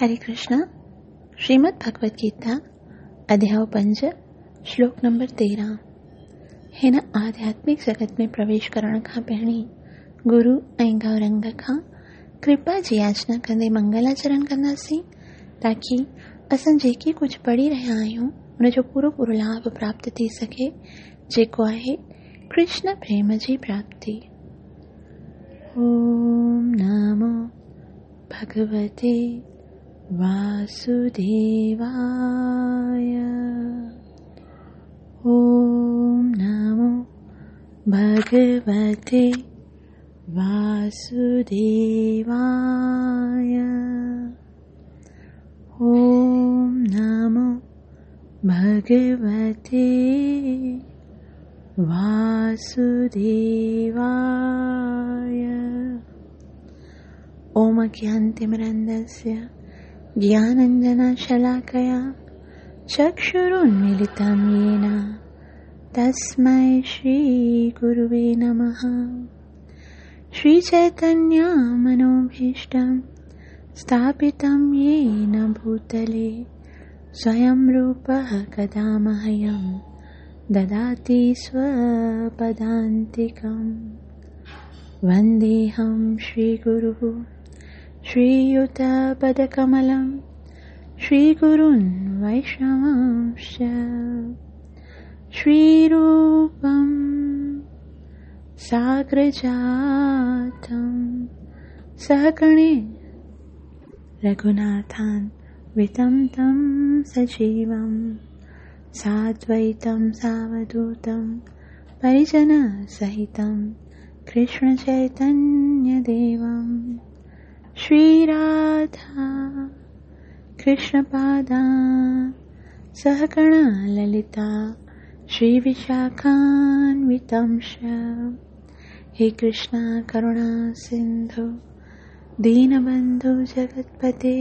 هري ڪرشنا، شريمد ڀڳوت گيتا، اڌياء پنج، شلوڪ نمبر 13. هن آڌياتمڪ جڳت ۾ پرويش ڪرڻ کان پهرين گرو ۽ گورنگ کان ڪرپا جي ياچنا ڪندي منگلاچرڻ ڪنداسين تاڪي اسان جيڪي ڪجهه پڙهي رهيا آهيون ان جو پورو پورو لاڀ پراپت ٿي سگهي جيڪو آهي ڪرشن پريم جي پراپتي. اوم نمو ڀڳوتي واسوديواي. اوم نمو ڀڳوتي واسوديواي. اوم نمو ڀڳوتي واسوديواي. اوم اگيانتمرندस्य گياننجنشلاڪيا چڪشرونميلتم يين تسمي شري گروي نمه. شري چيتنيه منوڀيشٽم اسٿاپتم يين ڀوتلي سويم روپه ڪدا مهيم دداتي سوپدانتڪم. ونديهم شري گرو شرييتپدڪملم شري گرون ويشنوانش شري روپم ساگرجاتم سهگڻي رگهوناٿان وتم تم سجيوم سادويتم ساوڌوتم پريجن سهتم ڪرشن چيتنيه ديوم. شري راڌا ڪرشن پادا سهگڻ للتا شري وشاکانوتمش. هي ڪرشنا ڪروڻا سنڌو دينبنڌو جگتپتي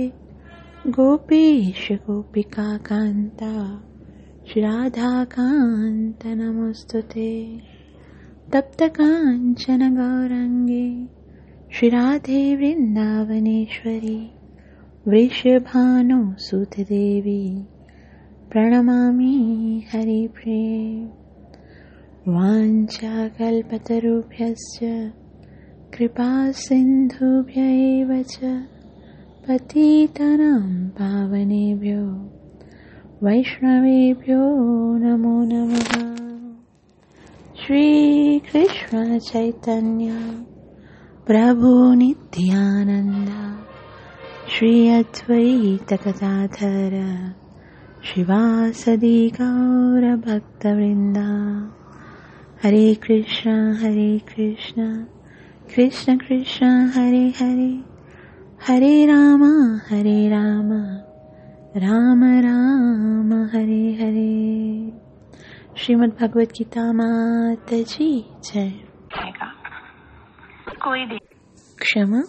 گوپيش گوپيڪا ڪانتا شري راڌا ڪانت نموستتي. تپت ڪانچن گورانگي شري راڌي ورنداونيشوري ورشڀانو سوت ديوي پرڻمامي هري پريي. وانڇا ڪلپتروڀيشچ ڪرپا سنڌوڀي ايو چ پتيتانام پاونيڀيو ويشنويڀيو نمو نمه. شري ڪرشن چيتنيه پرڀو نتيانند شري ادويت گداڌر شريواسدي گور ڀڪت ورندا. هري ڪرشن هري ڪرشن ڪرشن ڪرشن هري هري هري رام هري رام رام رام هري هري. شريمد ڀڳوت گيتا مات جي جئي. ڪشما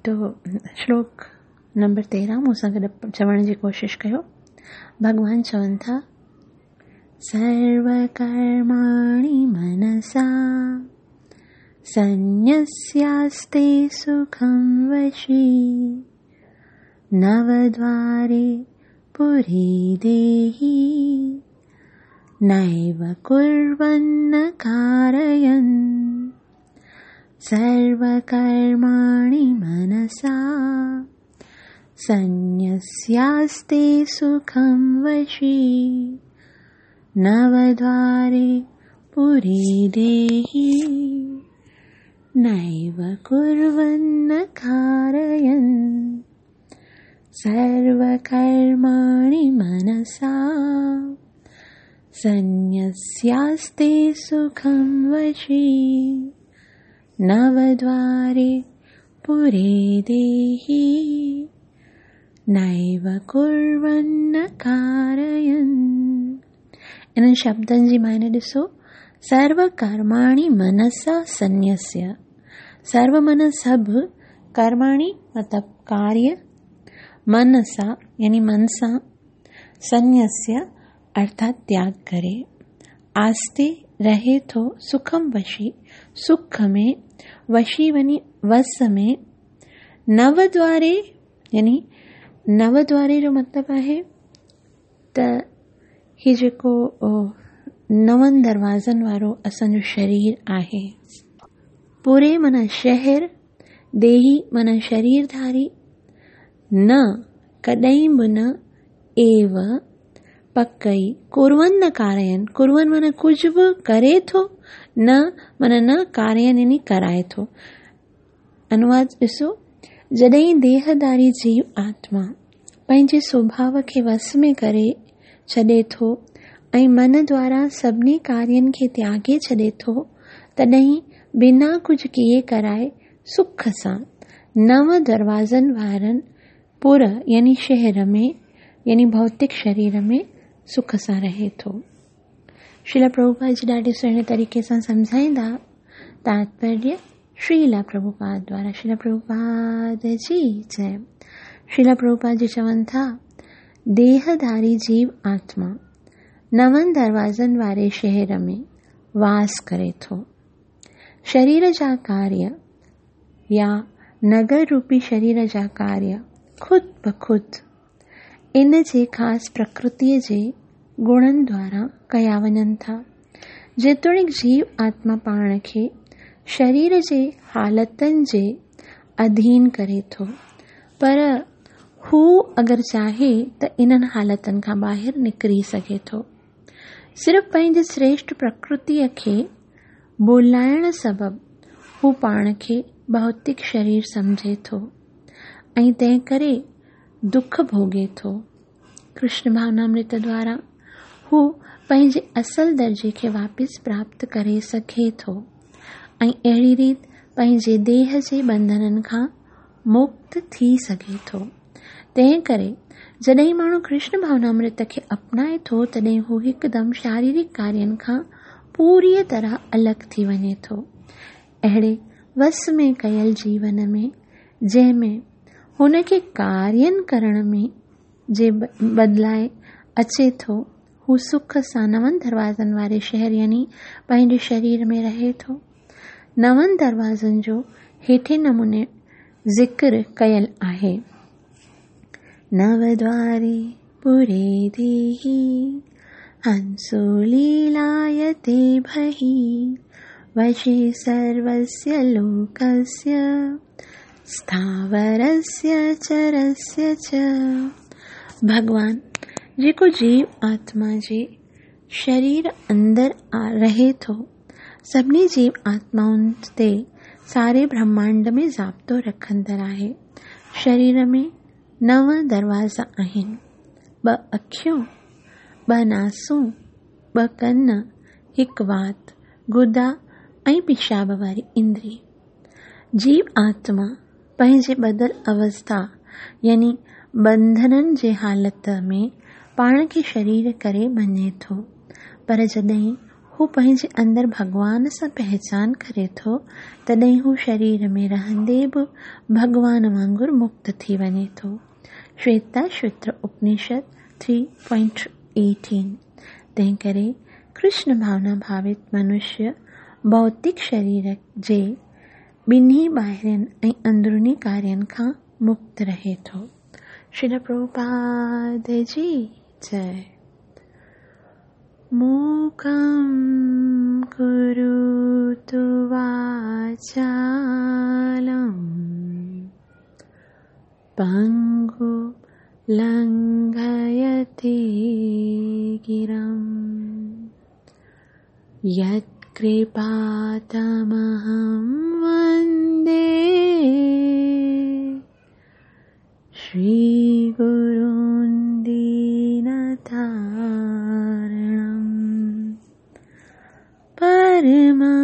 تو شلوڪ نمبر 13 مون سان گڏ چوڻ جي ڪوشش ڪيو. ڀڳوان چون ٿا سرو ڪرماڻي منسا سنيسياستي سکم وشي نودواري پوري ديهي نيو ڪرون ڪارين. سرو ڪرماڻي منسا سنيسياستي سکم وشي نودواري پوري ديهي نيو ڪرون ڪارين. سرو ڪرماڻي منسا سنيسياستي سکم وشي نودواري پوري ديهي نيو ڪرون ڪارين. انهن شبدن جي معني ڏسو. سرو ڪرماڻي منسا سنيسيا. سرو من سڀ، ڪرماڻي مطلب ڪاريه، منسا يعني من سان، سنيسيا ارٿات تياڳ ڪري، آستي رهي ٿو، سکم وشي سک ۾، وشي وڃي وس ۾، نو دواري يعني نو دواري جو مطلب آهي ته هي جيڪو نون دروازن وارو اسان جو شرير آهي. پوري معنيٰ شهر، ديهي معنيٰ شرير ڌاري، نه ڪڏهن به نه، ايو پڪ ئي، ڪرون نه ڪارين، ڪرون معنيٰ ڪجهه به ڪري ٿو، نه معنيٰ نه، ڪارين يعني ڪرائي ٿو. انواد ڏسو، جڏهن ديهداري جيو آتما پنهنجي سوڀاو کي وس ۾ ڪري ڇڏي ٿو ۽ من دوارا سڀني ڪارين کي تياڳي ڇڏي ٿو، تڏهن بنا ڪجهه ڪيئي ڪرائي سک سان نو دروازن وارن پور يعني شهر ۾ يعني ڀوتڪ شرير ۾ سک سان رهي ٿو. شريلا پرڀوپاد جي ڏاڍي سهڻي طريقي سان سمجهائيندا تاتپريه شريلا پرڀوپاد دوارا شريلا پرڀوپاد جي جئي. شريلا پرڀوپاد جي چون ٿا ديهڌاري جيو آتما نون دروازن واري شهر ۾ واس ڪري ٿو. شرير جا ڪاريه يا نگر روپي شرير جا ڪاريه خود بخود ان جي خاص پرڪرتيء جي گڻن دوارا ڪيا وڃن ٿا. جيتوڻيڪ جيو آتما پاڻ کي شرير جي حالتن جي اڌين ڪري ٿو، پر هو اگر چاهي ته انهن حالتن کان ٻاهر نڪري سگهي ٿو. صرف پنهنجي سريشٽ پرڪرتيء کي ڀلائڻ سبب هو پاڻ کي ڀوتڪ شرير سمجهي ٿو ۽ تنهن ڪري دک ڀوڳي ٿو. ڪرشن ڀاونامرت دوارا هو پنهنجي اصل درجي کي واپس پراپت ڪري سگهي ٿو ۽ اهڙي ريت پنهنجي ديهه جي ٻنڌنن کان مڪت ٿي سگهي ٿو. تنهن ڪري جڏهن ماڻهو ڪرشن ڀاونامرت کي اپنائي ٿو تڏهن هو هڪدم شاريرڪ ڪارين کان پوريء طرح الڳ ٿي وڃي ٿو. اهڙي وس ۾ ڪيل جيون ۾ جنهن ۾ هن کي ڪارين ڪرڻ ۾ جي بدلائي اچي ٿو، هو سک سان نون دروازن واري شهر يعني پنهنجي شرير ۾ رهي ٿو. نون دروازن جو هيٺين نموني ذڪر ڪيل آهي. نو دواري پوري ديهي، هنسو ليلايتي ڀهي، وشي سروسيه لوڪسيه، اسٿاورسيه چرسيه چ. ڀڳوان جيڪو جيو آتما جي شرير اندر رهي ٿو، سڀني جيو آتمائن تي ساري برهمانڊ ۾ ضابطو رکندڙ آهي. شرير ۾ نو دروازا آهن. ٻه اکيون، ٻه ناسون، ٻه ڪن، هڪ وات، گدا ۽ پيشاب واري اندري. جيو آتما پنهنجي ٻڌل اوسٿا يعني ٻنڌنن جي حالت ۾ پاڻ کي شرير ڪري مڃي ٿو، پر جڏهن هو پنهنجي اندر ڀڳوان سان پهچان ڪري ٿو، تڏهن هو شرير ۾ رهندي به ڀڳوان وانگر مڪت ٿي وڃي ٿو. شويتا شوتر اپنشد 3.18 تنهنڪري ڪرشن ڀاونا ڀاوت منشيه ڀوتڪ شرير جي ٻنهي ٻاهرين ۽ اندروني ڪارين کان مڪت رهي ٿو. شريل پرڀوپاد جي جئي. موڪم ڪروتو واچالم پنگو لنگهيتي گرم يتڪرپا تمهم وندي شري گرون دينتارڻم پرما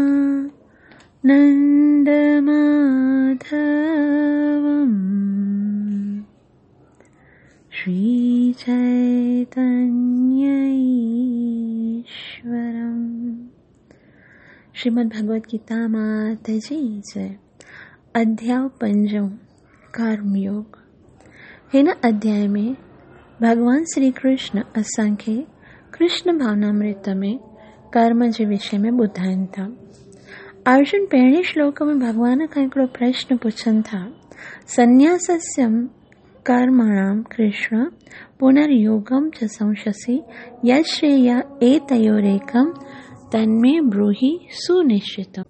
نند ماڌوم شري چيتنيه ايشورم. شريمد ڀڳوت گيتا مات جي جئي. اڌياء پنجون، ڪرم يوگ. هن اڌياء ۾ ڀڳوان شري ڪرشن اسان کي ڪرشن ڀاونامرت ۾ ڪرم جي وشي ۾ ٻڌائين ٿا. ارجن پهرين شلوڪ ۾ ڀڳوان کان هڪڙو پرشن پڇن ٿا، سنياسسيم ڪرمڻام ڪرشن پنريوگم چ سنشسي يشريي ايتيوريڪم تنمي بروهي سنشچتم.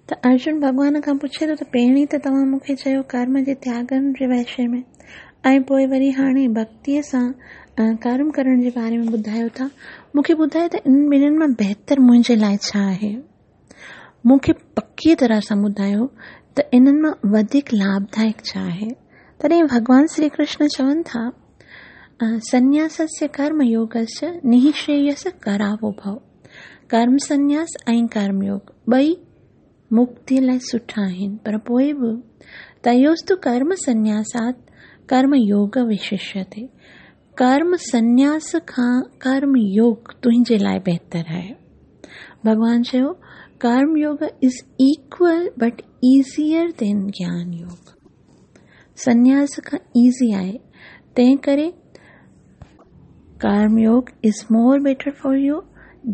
ته ارجن ڀڳوان کان پڇي ٿو ته پهرين ته توهان مون کي چيو ڪرم جي تياڳن جي وشي ۾ ۽ پوء وري هاڻي ڀڳتيء سان ڪرم ڪرڻ جي باري ۾ ٻڌايو ٿا. مون کي ٻڌايو ته انهن ٻنهين مان بهتر منهنجي لاء ڇا آهي؟ مون کي پڪيء طرح سان ٻڌايو ته انهن مان وڌيڪ لاڀدائڪ ڇا آهي؟ تڏهن ڀڳوان شري ڪرشن چون ٿا، سنياسस्य ڪرم يوگस्य نهشريس ڪراوڀو. ڪرم سنياس ۽ ڪرم يوگ ٻئي مڪتيء لاء سٺا آهن، پر پوء به تيوستو ڪرم سنياسات ڪرم يوگ وششيتي، ڪرم سنياس کان ڪرم يوگ تنهنجي لاء بهتر آهي. ڀڳوان چيو، karma yoga is equal but easier than gyan yoga. سنياس کان ايزي آهي، تنهن ڪري karma yoga is more better for you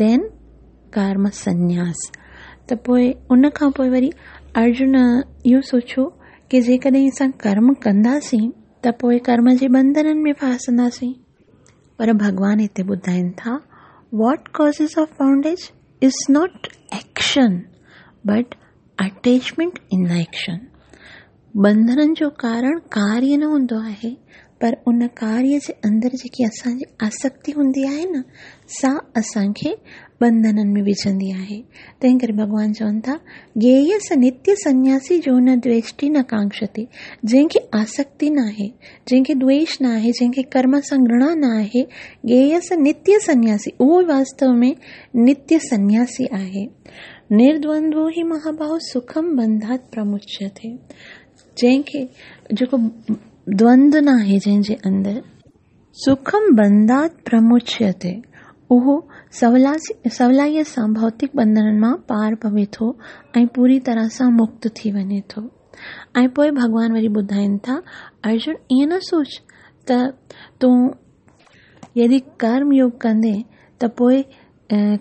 than karma sanyas. ته پوء ان کان پوء وري ارجن اهو سوچيو ڪي جيڪڏهن اسان ڪرم ڪنداسين ته پوء ڪرم جي ٻنڌنن ۾ ڦاسنداسين. پر ڀڳوان هتي ٻڌائين ٿا، what causes of bondage is not action but attachment in the action. ٻنڌنن جو ڪارڻ ڪاريه نه هوندو آهي پر ان ڪاريه جي اندر جيڪي اسان جي آسڪتي هوندي آهي نه سا اسان کي ٻنڌنن ۾ وجهندي آهي. تنهن ڪري ڀڳوان چون ٿا گيهه س نتيه سنياسي جو نه دويشٽي نه ڪانڪشتي، جنهن کي آسڪتي نه آهي، جنهن کي دويش نه آهي، جنهن کي ڪرم سان گهرڻا نه آهي، گيهه س نتيه سنياسي اهو ئي واستو ۾ نتيه سنياسي آهي. نردوندو هي مهاباهو سکم بنڌات پرمچيتي، جنهن کي جيڪو دوند نه آهي جنهن جي اندر، سکم بنڌات پرمچيتي اهو سولائيء سان ڀوتڪ ٻنڌنن مان پار پوي ٿو ۽ پوري طرح سان مڪت ٿي وڃي ٿو. ۽ پوء ڀڳوان وري ٻڌائين ٿا، ارجن ائين نه سوچ ته تون يدي ڪرم يوگ ڪندين ته پوء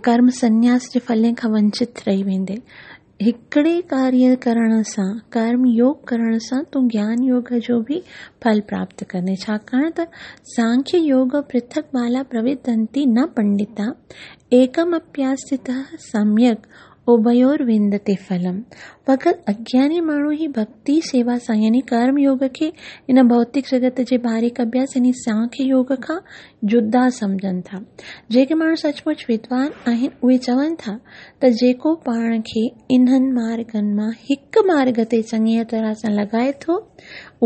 ڪرم سنياس جي ڦلين کان ونچت رهي ويندين. هڪڙي ڪاريه ڪرڻ سان، ڪرم يوگ ڪرڻ سان تون گيان يوگ جو به ڦل پراپت ڪندين، ڇاڪاڻ ته سانکيه يوگ پرٿڪ بالا پرويدنتي نه پنڊتا، ايڪم اپياستته سميڪ اڀيوروندتي ڦلم. فقط اگياني ماڻهو ئي ڀڳتي سيوا سان يعني ڪرم يوگ کي هن ڀوتڪ جڳت جي باريڪ اڀياس يعني سانکيه يوگ کان جدا سمجهن ٿا. جيڪي ماڻهو سچ پچ ودوان آهن اهي چون ٿا ته جيڪو پاڻ کي انهن مارگن مان هڪ مارگ تي چڱيء طرح سان لڳائي ٿو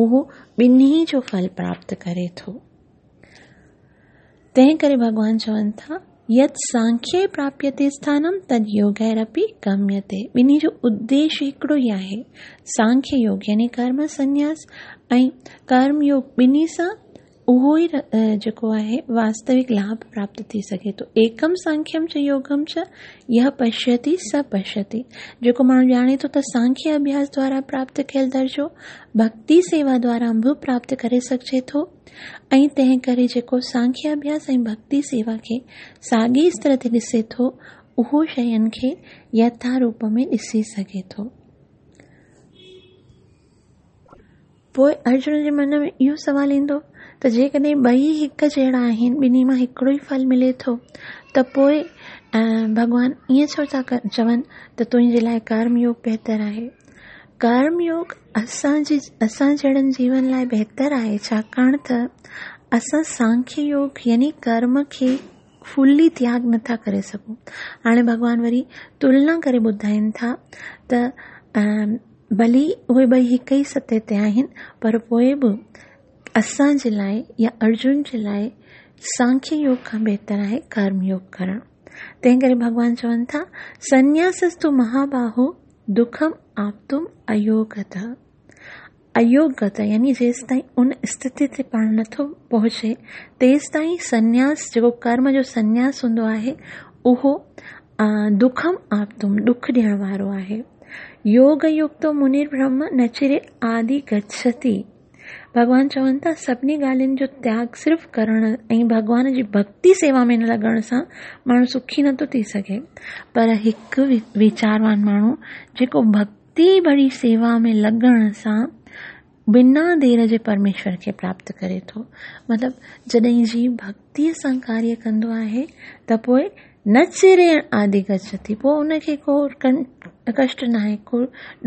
اهو ٻنهي جو ڦل پراپت ڪري ٿو. تنهن ڪري ڀڳوان چون ٿا، يت سانکيه پراپيتي اسٿانم تد يوگيرپي گميتي، ٻنهي جو اديش هڪڙو ئي آهي. سانکيه يوگ يعني ڪرم سنياس ۽ ڪرم يوگ ٻنهي سان اهو ئي جيڪو آهي واستوڪ لاڀ پراپت ٿي سگهي ٿو. ايڪم سانکيم چ يوگم چ يه پشيتي س پشيتي، جيڪو ماڻهو ڄاڻي ٿو ته سانکيه اڀياس دوارا پراپت ڪيل درجو ڀڳتي سيوا دوارا به پراپت ڪري سگهجي ٿو، ۽ تنهن ڪري جيڪو سانکيه اڀياس ۽ ڀڳتي سيوا کي ساڳئي استر تي ڏسي ٿو، اهو شين کي يٿا روپ ۾ ڏسي سگهي ٿو. پوء ارجن جي من ۾ اهو سوال ايندو ته جيڪڏهن ٻئي هڪ جهڙا آهن، ٻنهي مان هڪڙو ئي ڦل ملي ٿو ته پوء ڀڳوان ائين ڇو ٿا چون ته تنهنجي لاء ڪرم يوگ بهتر آهي؟ ڪرم يوگ اسان جي اسان جهڙن جيون لاء بهتر آهي ڇاڪاڻ ته اسان سانکيه يوگ يعني ڪرم کي فلي تياڳ نٿا ڪري سگهون. هاڻي ڀڳوان وري تلنا ڪري ٻڌائين ٿا ته ڀلي اهي ٻئي هڪ ئي سطح تي آهن پر پوء به اسان جي لاء يا ارجن جي لاء سانکيه يوگ کان بهتر آهي ڪرم يوگ ڪرڻ. تنهن ڪري ڀڳوان چون ٿا سنياسستو مهاباهو دکم آپتم ايوگته، ايوگته يعني جيستائين ان استٿي تي پاڻ نٿو پهچي تيستائين سنياس جيڪو ڪرم جو سنياس هوندو آهي اهو دکم آپتم ڏک ڏيڻ وارو آهي. يوگ يڪتو منير برهم نچري آدي گڇتي. ڀڳوان چون ٿا سڀني ڳالهين جو تياڳ صرف ڪرڻ ۽ ڀڳوان جي ڀڳتي سيوا ۾ نه لڳڻ سان ماڻهو سکي نٿو ٿي سگهي پر هڪ ويچاروان ماڻهو جيڪو ڀڳتي ڀري سيوا ۾ لڳڻ سان بنا دير جي پرميشور کي پراپت ڪري ٿو. مطلب جڏهن جيو ڀڳتيء سان ڪاريه ڪندو آهي ته پوء نه چري آدي گڇتي، پوء ان کي ڪو ڪشٽ ناهي، ڪو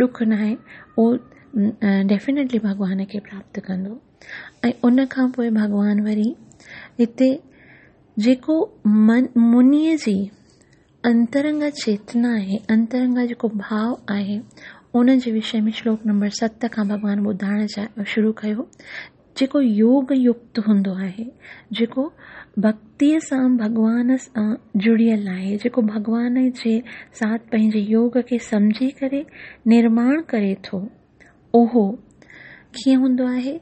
ڏک ناهي، اهو ڊيفينيٽلي ڀڳوان کي پراپت ڪندو. ۽ ان کان پوء ڀڳوان وري هتي جيڪو من منيء جي انترنگا چيتنا آهي، انترنگا جيڪو ڀاء آهي، ان جي وشي ۾ شلوڪ نمبر 7 کان ڀڳوان ٻڌائڻ شروع ڪيو. جيڪو يوگ يڪت هوندو آهي، جيڪو ڀڳتيء سان ڀڳوان سان جڙيل آهي، جيڪو ڀڳوان جي ساٿ پنهنجي يوگ کي سمجهي ڪري نرماڻ ڪري ٿو، اهو ڪيئن هوندو آهي؟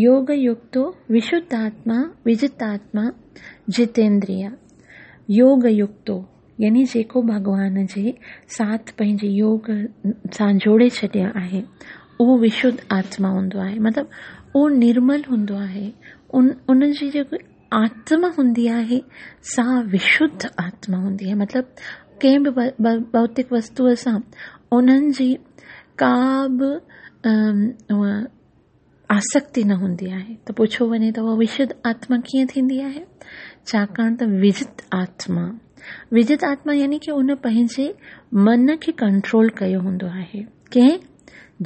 يوگ يڪتو وشڌ آتما وجت آتما جتيندريه. يوگ يڪتو يعني جيڪو ڀڳوان جي ساٿ پنهنجي يوگ سان جوڙي ڇڏيو آهي، اهو وشڌ آتما هوندو آهي. مطلب اهو نرمل هوندو آهي. ان جي جيڪو آتما هوندي آهي سا وشڌ آتما هوندي آهي. مطلب ڪنهن به ڀوتڪ وستوء سان انهن جي ڪا به آسڪتي نه هوندي آهي. ته پڇيو وڃي ته اها وشڌ آتما ڪيئن ٿيندي آهي؟ ڇاڪاڻ ته وجت آتما، وجت آتما يعني ڪه ان پنهنجي من کي ڪنٽرول ڪيو هوندو آهي. ڪنهن؟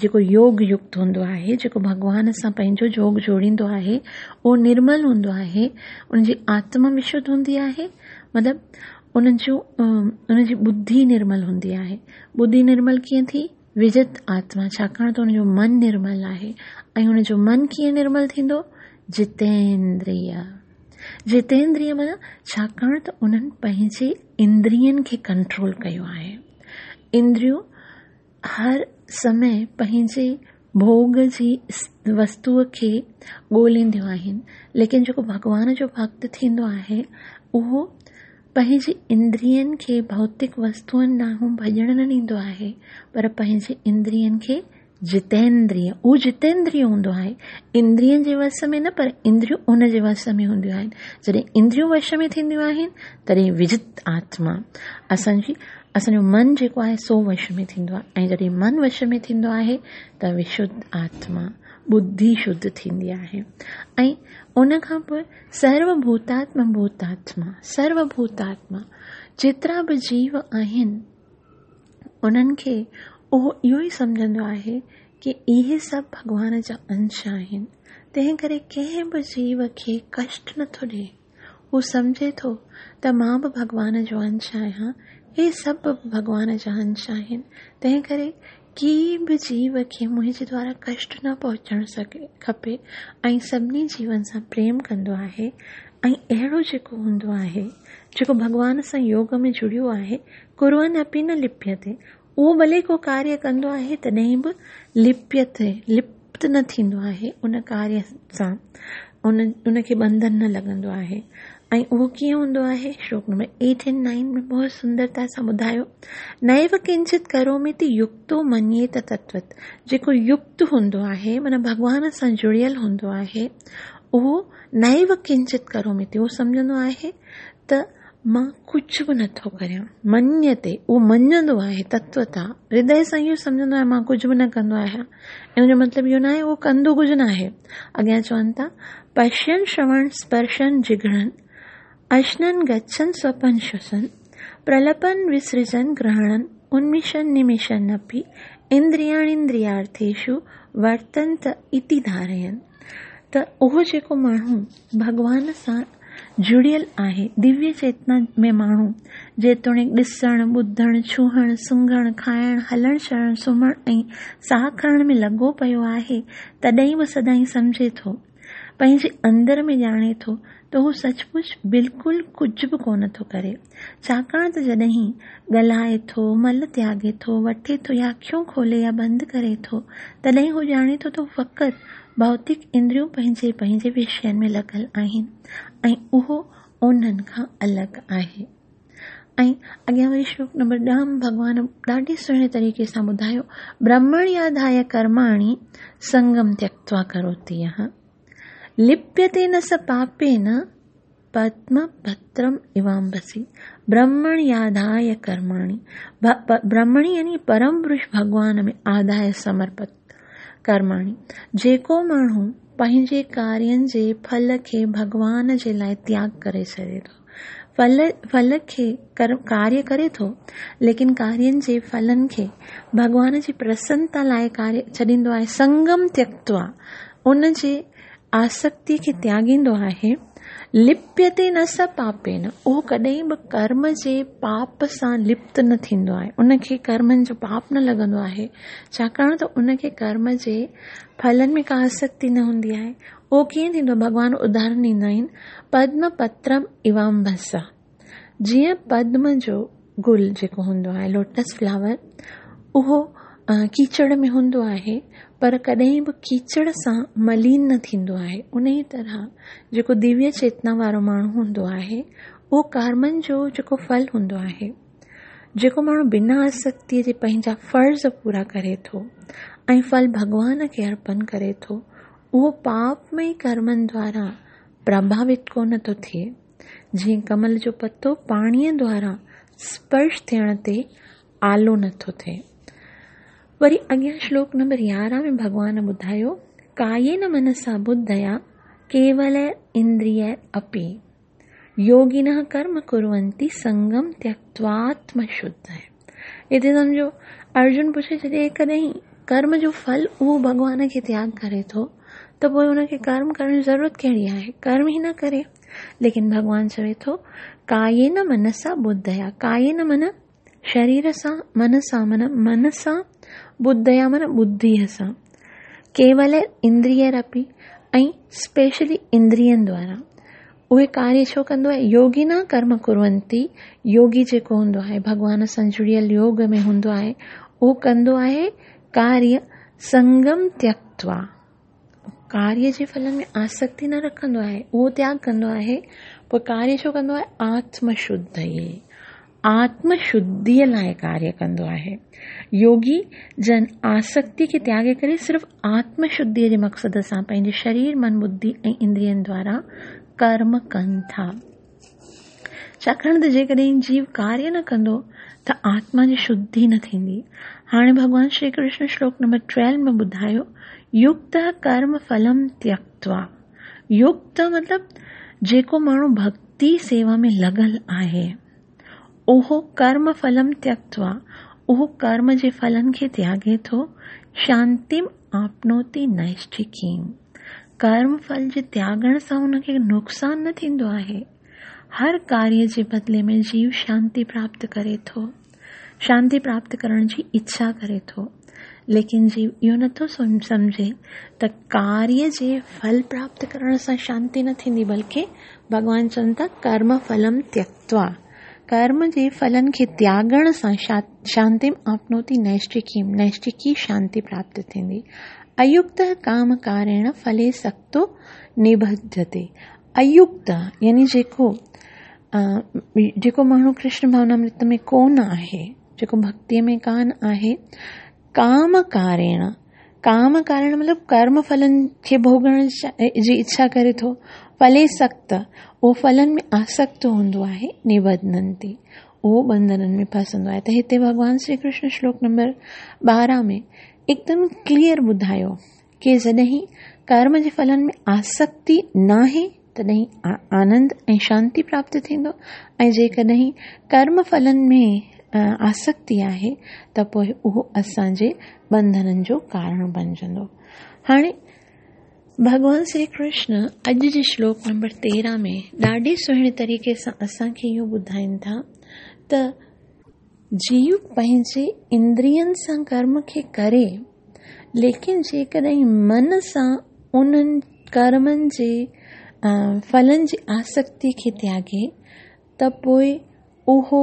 جيڪو يوگ يڪت هوندو آهي، جيڪو ڀڳوان سان پنهنجو جوگ جوڙيندو آهي، اهو نرمل هوندو آهي، ان جي آتما وشڌ هوندي آهي، مطلب ان جي ٻڌي نرمل هوندي آهي. ٻڌي نرمل ڪيئن ٿي؟ وجت آتما، ڇاڪاڻ ته ان جو من نرمل آهي. ۽ ان جو من ڪيئن نرمل ٿيندو؟ جتيندريه. جتيندريه معنيٰ ڇاڪاڻ ته انهن پنهنجي اندرين کي ڪنٽرول ڪيو آهي. اندريون هر سمي پنهنجي ڀوڳ جي وستوء کي ڳولينديون آهن، ليڪن جيڪو ڀڳوان جو ڀڳت ٿيندو آهي اهو پنهنجي اندرين کي ڀوتڪ وستوئن ڏانهن ڀڄڻ نه ڏيندو آهي، پر پنهنجي اندرين کي جتيندريه، اهو جتيندريه هوندو آهي، اندرين جي وس ۾ نه پر اندريون ان جي وس ۾ هونديون آهن. جڏهن اندريون وش ۾ ٿينديون آهن تڏهن وجت آتما، اسان جو من جيڪو آهي سو وش ۾ ٿيندو آهي، ۽ جڏهن من وش ۾ ٿيندو آهي ته وشڌ آتما، ٻڌي شڌ ٿيندي آهي. ۽ ان کان پوء سرو ڀوتاتما ڀوتاتما، سرو ڀوتاتما جيترا به جيو آهن انهن کي اهو اهو ئي سمجهندو آهي ڪي اهي سڀ ڀڳوان جا انش آهن، تنهن ڪري ڪنهن به جيو کي ڪشٽ نٿو ڏئي. هو سمجهي ٿو ته مان به ڀڳوان جو انش آهيان، هي سڀ به ڀڳوان جا انش آهن، تنهن ڪري ڪي به جيو کي منهنجي دوارا ڪشٽ نه پهچڻ کپي ۽ سڀني جيون سان پريم ڪندو آهي. ۽ اهڙو جيڪو هوندو آهي، جيڪو ڀڳوان سان يوگ ۾ جڙيو آهي، ڪرون اپي نه لپيتي، اهو ڀلي ڪو ڪاريه ڪندو آهي تڏهن به لپيتي، لپت نه ٿيندو آهي، ان ڪاريه سان ان کي ٻنڌن نه لڳندو آهي. ۽ اهو ڪيئن هوندو آهي؟ شلوڪ نمبر 8 اينڊ 9 ۾ بهت سندرتا سان ٻڌايو، نيو ڪنچت ڪروميتي يڪتو منيت تتوت، جيڪو يڪت هوندو آهي معنيٰ ڀڳوان سان جڙيل هوندو آهي، اهو نيو ڪنچت ڪروميتي، اهو سمجهندو آهي ته مان ڪجهه به نٿو ڪريان، منيتي، اهو مڃندو آهي تتوتا، هردي سان اهو سمجهندو آهي مان ڪجهه به نه ڪندو آهيان، ان جو مطلب اهو ناهي اهو ڪندو ڪجهه ناهي. اڳيان چون ٿا، پشين شروڻ سپرشن جگهڻن، اشنن گڇن سوپن شوسن، پرلپن وسرجن گرهڻن، انميشن نميشن اپي، اندرياڻيندريارٿيشو ورتنت اتي ڌارين. ته اهو جيڪو ماڻهو ڀڳوان سان جڙيل آهي، دويه چيتنا ۾ ماڻهو جيتوڻيڪ ڏسڻ، ٻڌڻ، ڇهڻ، سونگهڻ، کائڻ، هلڻ چلڻ، سمهڻ ۽ ساهه کڻڻ ۾ لڳو پيو آهي، تڏهن به سدائين سمجهي ٿو، پنهنجي اندر ۾ ڄاڻي ٿو ته هو سچ پچ بلڪل ڪجهه به ڪونه ٿو ڪري. ڇاڪاڻ ته جڏهن ڳالهائي ٿو، مل تياڳي ٿو، وٺي ٿو يا اکيون کولي يا بند ڪري ٿو، تڏهن هو ڄاڻي ٿو ته هو فقط ڀوتڪ اندريون پنهنجي پنهنجي وشين ۾ لڳل آهن ۽ اهو انهن کان الڳ آهي. ۽ اڳيان وري شلوڪ نمبر 10 ۾ ڀڳوان ڏاڍي سهڻي طريقي سان ٻڌايو، برهمڻياڌايه ڪرماڻي سنگم تيڪتوا ڪروتي يهه لپيتي نه س پاپين پدم پترم ايوامبسي. برهمڻياڌايه ڪرماڻي، برهمڻي يعني پرم پرش ڀڳوان ۾ آڌايه سمرپت ڪرماڻي، جيڪو ماڻهو پنهنجي ڪارين جي ڦل کي ڀڳوان جي لاء تياڳ ڪري ڇڏي ٿو. ڦل ڦل کي ڪاريه ڪري ٿو، ليڪن ڪارين جي ڦلن کي ڀڳوان جي پرسنتا لاء ڪاريه ڇڏيندو آهي، سنگم تيڪتوا، ان جي آسڪتي کي تياڳيندو آهي، لپيتي نه س پاپين، اهو ڪڏهن به ڪرم جي پاپ سان لپت نه ٿيندو آهي، ان کي ڪرمن جو پاپ نه لڳندو آهي، ڇاڪاڻ ته ان کي ڪرم جي ڦلن ۾ ڪا آسڪتي نه هوندي آهي. اهو ڪيئن ٿيندو؟ ڀڳوان اداهرڻ ڏيندا آهن، پدم پترم ايوامڀسا، جيئن پدم جو گل جيڪو هوندو آهي، لوٽس فلاور، اهو ڪيچڙ ۾ هوندو آهي، پر ڪڏهن به ڪيچڙ سان ملين نه ٿيندو آهي. انهيء طرح جيڪو دويه چيتنا وارو ماڻهو هوندو آهي، اهو ڪرمن جو جيڪو ڦل هوندو آهي، جيڪو ماڻهو بنا آسڪتيء جي پنهنجا فرض پورا ڪري ٿو ۽ ڦل ڀڳوان کي ارپن ڪري ٿو، اهو پاپمئي ڪرمن دوارا پرڀاوت ڪونه ٿو ٿئي. جيئن ڪمل جو پتو پاڻيء دوارا سپرش ٿيڻ تي آلو نه ٿو ٿئي. وري اڳيان شلوڪ نمبر 11 ۾ ڀڳوان ٻڌايو، ڪايين منسا ٻڌيا ڪيول اندريئر اپي. يوگينه ڪرم ڪرونتي سنگم تيڪتواتم شڌ. هتي سمجهو ارجن پڇي جڏهن ڪڏهن ڪرم جو ڦل اهو ڀڳوان کي تياڳ ڪري ٿو ته پوء ان کي ڪرم ڪرڻ جي ضرورت ڪهڙي آهي ڪرم ئي نه ڪري ليڪن ڀڳوان چوي ٿو ڪايين منسا ٻڌيا ڪايين من شرير سان من سان من من سان ٻڌيا من ٻڌيء سان ڪيول اندريئر اپي ۽ اسپيشلي اندرين دوارا اهي ڪاريه ڇو ڪندو آهي يوگي نه ڪرم ڪرونتي يوگي جيڪو هوندو آهي ڀڳوان سان جڙيل يوگ ۾ هوندو آهي اهو ڪندو آهي ڪاريه سنگم تيڪتوا ڪاريه جي ڦلن ۾ آسڪتي نه رکندو آهي اهو تياڳ ڪندو آهي پوء ڪاريه ڇو ڪندو آهي آتم شڌ آتم شڌيء لاء ڪاريه ڪندو آهي. يوگي جن آسڪتيء کي تياڳي ڪري صرف آتم شڌيء جي مقصد سان پنهنجي شرير، من، ٻڌي ۽ اندرين دوارا ڪرم ڪن ٿا. ڇاڪاڻ ته جيڪڏهن جيو ڪاريه نه ڪندو ته آتما جي شڌي نه ٿيندي. هاڻي ڀڳوان شري ڪرشن شلوڪ نمبر 12 ۾ ٻڌايو، يڪت ڪرم ڦلم تيڪتوا. يڪت مطلب جيڪو ماڻهو ڀڳتي سيوا ۾ لڳل آهي. اهو ڪرم ڦلم تيڪتوا، اهو ڪرم جي ڦلن کي تياڳي ٿو، شانتيم آپنوتي نئشٺڪيم. ڪرم ڦل جي تياڳڻ سان ان کي نقصان نه ٿيندو آهي. هر ڪاريه جي بدلي ۾ جيو شانتي پراپت ڪري ٿو. شانتي پراپت ڪرڻ جي اڇا ڪري ٿو. ليڪن جيو اهو نٿو سمجهي ته ڪاريه جي ڦل پراپت ڪرڻ سان شانتي نه ٿيندي بلڪه ڀڳوان چون ٿا ڪرم ڦلم تيڪتوا ڪرم جي ڦلن کي تياڳڻ سان شانتيم آپنوتي نئشٽڪيم نئشٽڪي شانتي پراپت ٿيندي ايڪت ڪام ڪاريڻ ڦلي سڪتو نبڌجتي ايڪت يعني جيڪو جيڪو ماڻهو ڪرشن ڀاونامرت ۾ ڪونه آهي جيڪو ڀڳتيء ۾ ڪانه آهي، ڪام ڪاريڻ، ڪام ڪاريڻ مطلب ڪرم ڦلن کي ڀوڳڻ جي اڇا ڪري ٿو، ڦلي سڪت، اهو ڦلن ۾ آسڪت هوندو آهي، نبڌنتي، اهو ٻنڌنن ۾ ڦسندو آهي. ته هتي ڀڳوان شري ڪرشن شلوڪ نمبر 12 ۾ هڪدم ڪليئر ٻڌايو ڪي جڏهن ڪرم جي ڦلن ۾ آسڪتي ناهي تڏهن آنند ۽ شانتي پراپت ٿيندو ۽ جيڪڏهن ڪرم ڦلن ۾ آسڪتي آهي ته پوء اهو اسان جي ٻنڌنن جو ڪارڻ بنجندو. هاڻي ڀڳوان شري ڪرشن اڄ جي شلوڪ نمبر 13 ۾ ڏاڍي سهڻي طريقي سان اسان کي اهو ٻڌائين ٿا ته جيو پنهنجي اندرين سان ڪرم کي ڪري ليڪن جيڪڏهن من سان انهن ڪرمن جي ڦلن جي آسڪتي کي تياڳي ته پوء اهو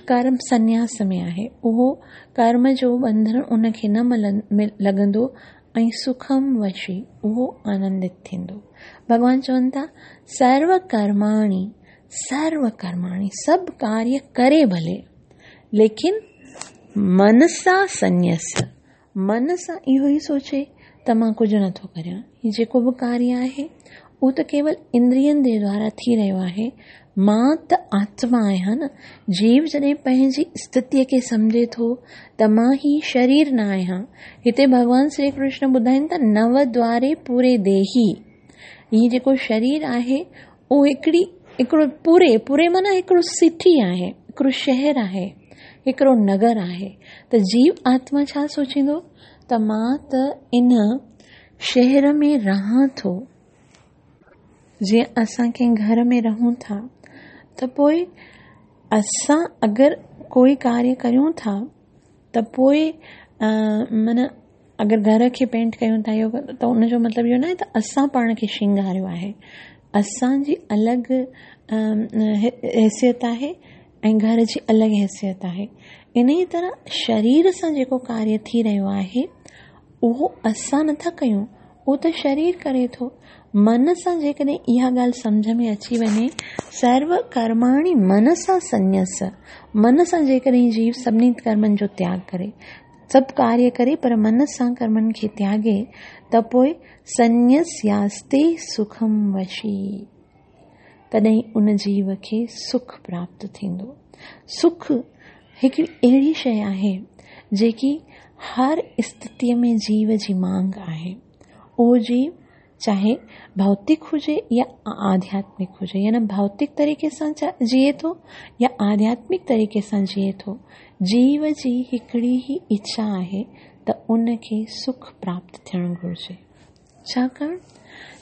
ڪرم سنياس ۾ آهي اهو ڪرم جو ٻنڌڻ ان کي نه لڳندو ۽ سکم وشي اهو آنندت ٿيندو ڀڳوان چون ٿا سرو ڪرماڻي سرو ڪرماڻي سڀ ڪاريه ڪري ڀلي ليڪن منسا سنيس من سان اهو ئي سوچي ته مان ڪجهه نٿو ڪريان هي جيڪو به ڪاريه آهي اهو ته ڪيول اندرين جي دوارا ٿي رهيو آهي مان ته آتما آهيان نه. جيو جڏهن پنهنجي اسٿتيء کي سمجهي ٿو ته مان هي شرير نه آهيان. هتي ڀڳوان شري ڪرشن ٻڌائين ٿا نو دواري پوري ديهي. هي جيڪو شرير آهي اهو هڪڙي هڪڙو پوري پوري معنيٰ هڪڙو سٽي آهي، هڪڙو شهر آهي، هڪڙو نگر آهي. ته جيو آتما ڇا سوچيندو ته مان ته ان شهر ۾ رهان ٿو. جيئن اسان ڪنهن گهر ۾ رهون ٿا ته پوء اسان اگر ڪوئي ڪاريه ڪريون ٿا ته پوء معنيٰ اگر گهر کي پينٽ ڪيون ٿا اهو ته ان جو مطلب اهو ناهي ته اسان پاڻ کي شرنگاريو آهي اسان جي الڳ حيثيت آهي ۽ گهر جي الڳ حيثيت آهي ان ئي طرح شرير سان جيڪو ڪاريه ٿي رهيو آهي اهو اسان نٿا ڪيون اهو ته شرير ڪري ٿو. من سان جيڪڏهن اها ڳالهه سمجهه ۾ اچي وڃي، سرو ڪرماڻي منسا سنيس، من سان جيڪڏهن جيو سڀني ڪرمن جو تياڳ ڪري، سڀ ڪاريه ڪري پر من سان ڪرمن کي تياڳي ته پوء سنيسياستي سکم وشي، تڏهن ان جيو کي سک پراپت ٿيندو. سک هڪڙي اهڙي شيء آهي جيڪي هر اسٿتيء ۾ جيو جي مانگ آهي. اهو جيو چاهي ڀوتڪ هجي يا آڌياتمڪ هجي يعني ڀوتڪ طريقي سان جيئي ٿو يا آڌياتمڪ طريقي سان جيئي ٿو، جيو جي هڪڙي ئي اڇا آهي ته ان کي سک پراپت ٿيڻ گهرجي. ڇاڪاڻ؟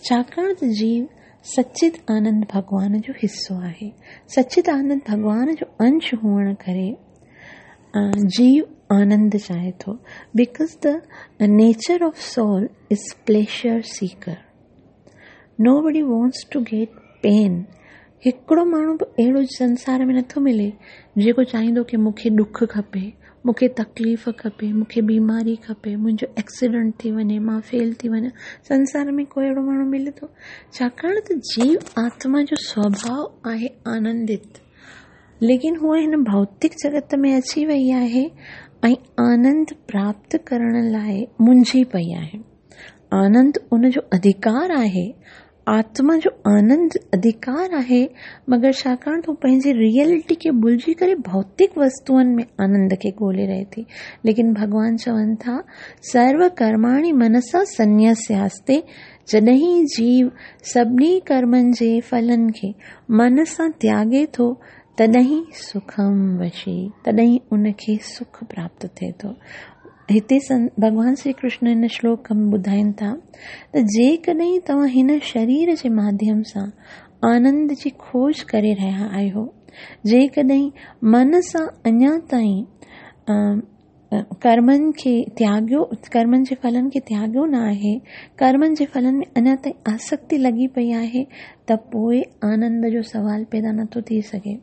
ڇاڪاڻ ته جيو سچت آنند ڀڳوان جو حصو آهي. سچت آنند ڀڳوان جو انش هئڻ ڪري جيو آنند چاهي ٿو. Because the nature of soul is pleasure seeker. Nobody wants to get pain. هڪڙو ماڻهو به اهڙو سنسار ۾ نٿو ملي جيڪو چاهيندو ڪي مون کي ڏک کپي، مون کي تڪليف کپي، مون کي بيماري کپي، منهنجو ايڪسيڊنٽ ٿي وڃي، مان فيل ٿي وڃان. سنسار ۾ ڪو اهڙو ماڻهو ملي ٿو؟ ڇاڪاڻ ته جيو آتما جو سوڀاء آهي آنندت، ليڪن هوء هن ڀوتڪ جڳت ۾ اچي وئي آهي ۽ آنند پراپت ڪرڻ لاء منجهي پئي آهي. آنند ان جو اڌڪار آهي، آتما جو آنند اڌڪار آهي، مگر ڇاڪاڻ ته هو پنهنجي ريئلٽي کي ڀلجي ڪري ڀوتڪ وستوئن ۾ آنند کي ڳولي رهي ٿي. ليڪن ڀڳوان چون ٿا، سرو ڪرماڻي منسا سنيسياستي، جڏهن جيو سڀني ڪرمن جي ڦلن کي من سان تياڳي ٿو، تڏهن سکم وشي، تڏهن ان کي سک پراپت ٿئي ٿو. هتي ڀڳوان شري ڪرشن هن شلوڪ ۾ ٻڌائين ٿا ته جيڪڏهن توهان هن شرير جي ماڌيم سان آنند جي کوج ڪري رهيا آهيو، جيڪڏهن من سان اڃا تائين ڪرمن کي تياڳيو، ڪرمن جي ڦلن کي تياڳيو نه آهي، ڪرمن جي ڦلن ۾ اڃا تائين آسڪتي لڳي پئي آهي ته پوء آنند جو سوال پيدا نٿو ٿي سگهي.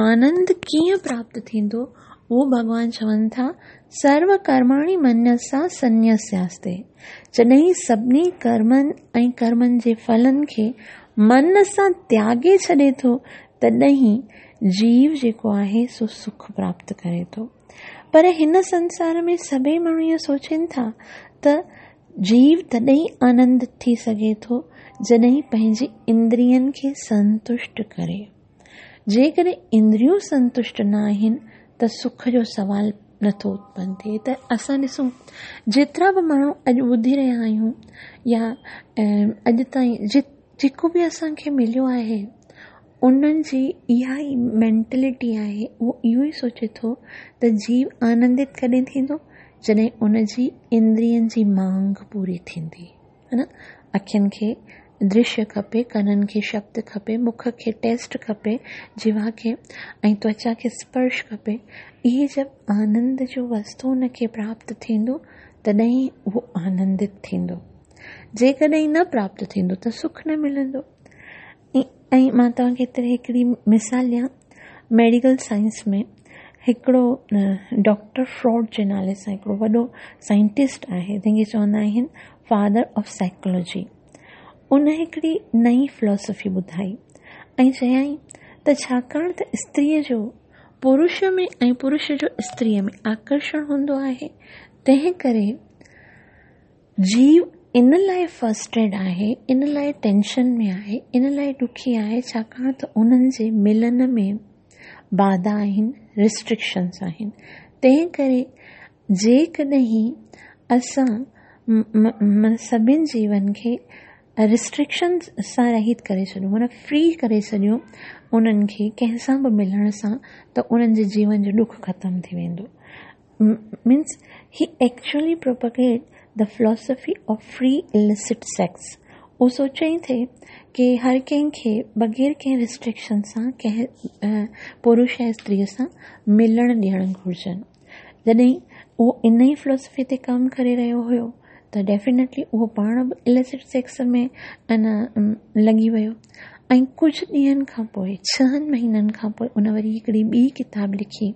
آنند ڪيئن پراپت ٿيندو؟ اهو ڀڳوان چون ٿا، سرو ڪرماڻي منسا سنيسياستي، جڏهن سڀني ڪرمن ۽ ڪرمن جي ڦلن کي من سان تياڳي ڇڏي ٿو، تڏهن جيو جيڪو آهي سو سک پراپت ڪري ٿو. پر هن سنسار ۾ سڀئي ماڻهو ائين سوچين ٿا ته جيو تڏهن آنندت ٿي سگهي ٿو، جڏهن پنهنجي اندرين کي سنتشٽ ڪري. جيڪڏهن اندريون سنتشٽ نه آهن ته سک جو سوال نٿو اتپن ٿئي ته اسان ڏسون جيترا به ماڻهو اڄ ٻڌي رهيا آهيون يا اڄ تائين جيڪو به اسان کي مليو آهي انهن جي اها ئي مينٽلٽي آهي اهو اهو ئي سوچي ٿو ته جيو آنندت ڪڏهن ٿيندو جڏهن ان جي اندرين جي مانگ پوري ٿيندي. ها نه اکين کي درشيه کپي، ڪنن کي شبد کپي، مک کي ٽيسٽ کپي، جيوا کي ۽ توچا کي اسپرش کپي. اهي جب آنند جو وستو ان کي پراپت ٿيندو تڏهن ئي اهو آنندت ٿيندو. جيڪڏهن نه پراپت ٿيندو ته سک نه ملندو. ۽ مان توهان کي هتي هڪڙي مثال ڏيان، ميڊيڪل سائنس ۾ هڪڙو ڊاڪٽر فراڊ جي نالي سان هڪڙو وڏو سائنٽسٽ آهي جنهن کي چوندا آهن فادر آف سائيڪالاجي ان هڪڙي نئين فلاسافي ٻڌائي ۽ چيائين ته ڇاڪاڻ ته استريء جو پرش ۾ ۽ پرش جو استريء ۾ آڪرشڻ هوندو آهي تنهن ڪري جيو ان لاء فرسٽريٽ آهي، ان لاء ٽينشن ۾ آهي، ان لاء ڏکي آهي ڇاڪاڻ ته انهن جي ملن ۾ باڌا آهن، ريسٽرڪشنز آهن. تنهن ڪري جيڪڏهن اسان سڀن جيون کي ريسٽرڪشنز سان رهت ڪري ڇڏيون معنيٰ فري ڪري ڇڏيون انهن کي ڪنهن سان به ملڻ سان ته انهن جي جيون جو ڏک ختم ٿي ويندو. Means he actually propagate the philosophy of free illicit sex. اهو سوچيائين ٿي ڪي هر ڪنهن کي بغير ڪنهن ريسٽرڪشن سان ڪنهن پرش ۽ استريء سان ملڻ ڏيڻ گهرجن. جڏهن اهو ان ئي فلاسافي تي ڪم ڪري رهيو هيو ته ڊيفينيٽلي اهو پاڻ به اليسٽ سيڪس ۾ ان لڳي ويو ۽ ڪجهه ڏينهن کان پوء ڇهن مهينن کان پوء ان وري هڪڙي ٻي ڪتاب لکي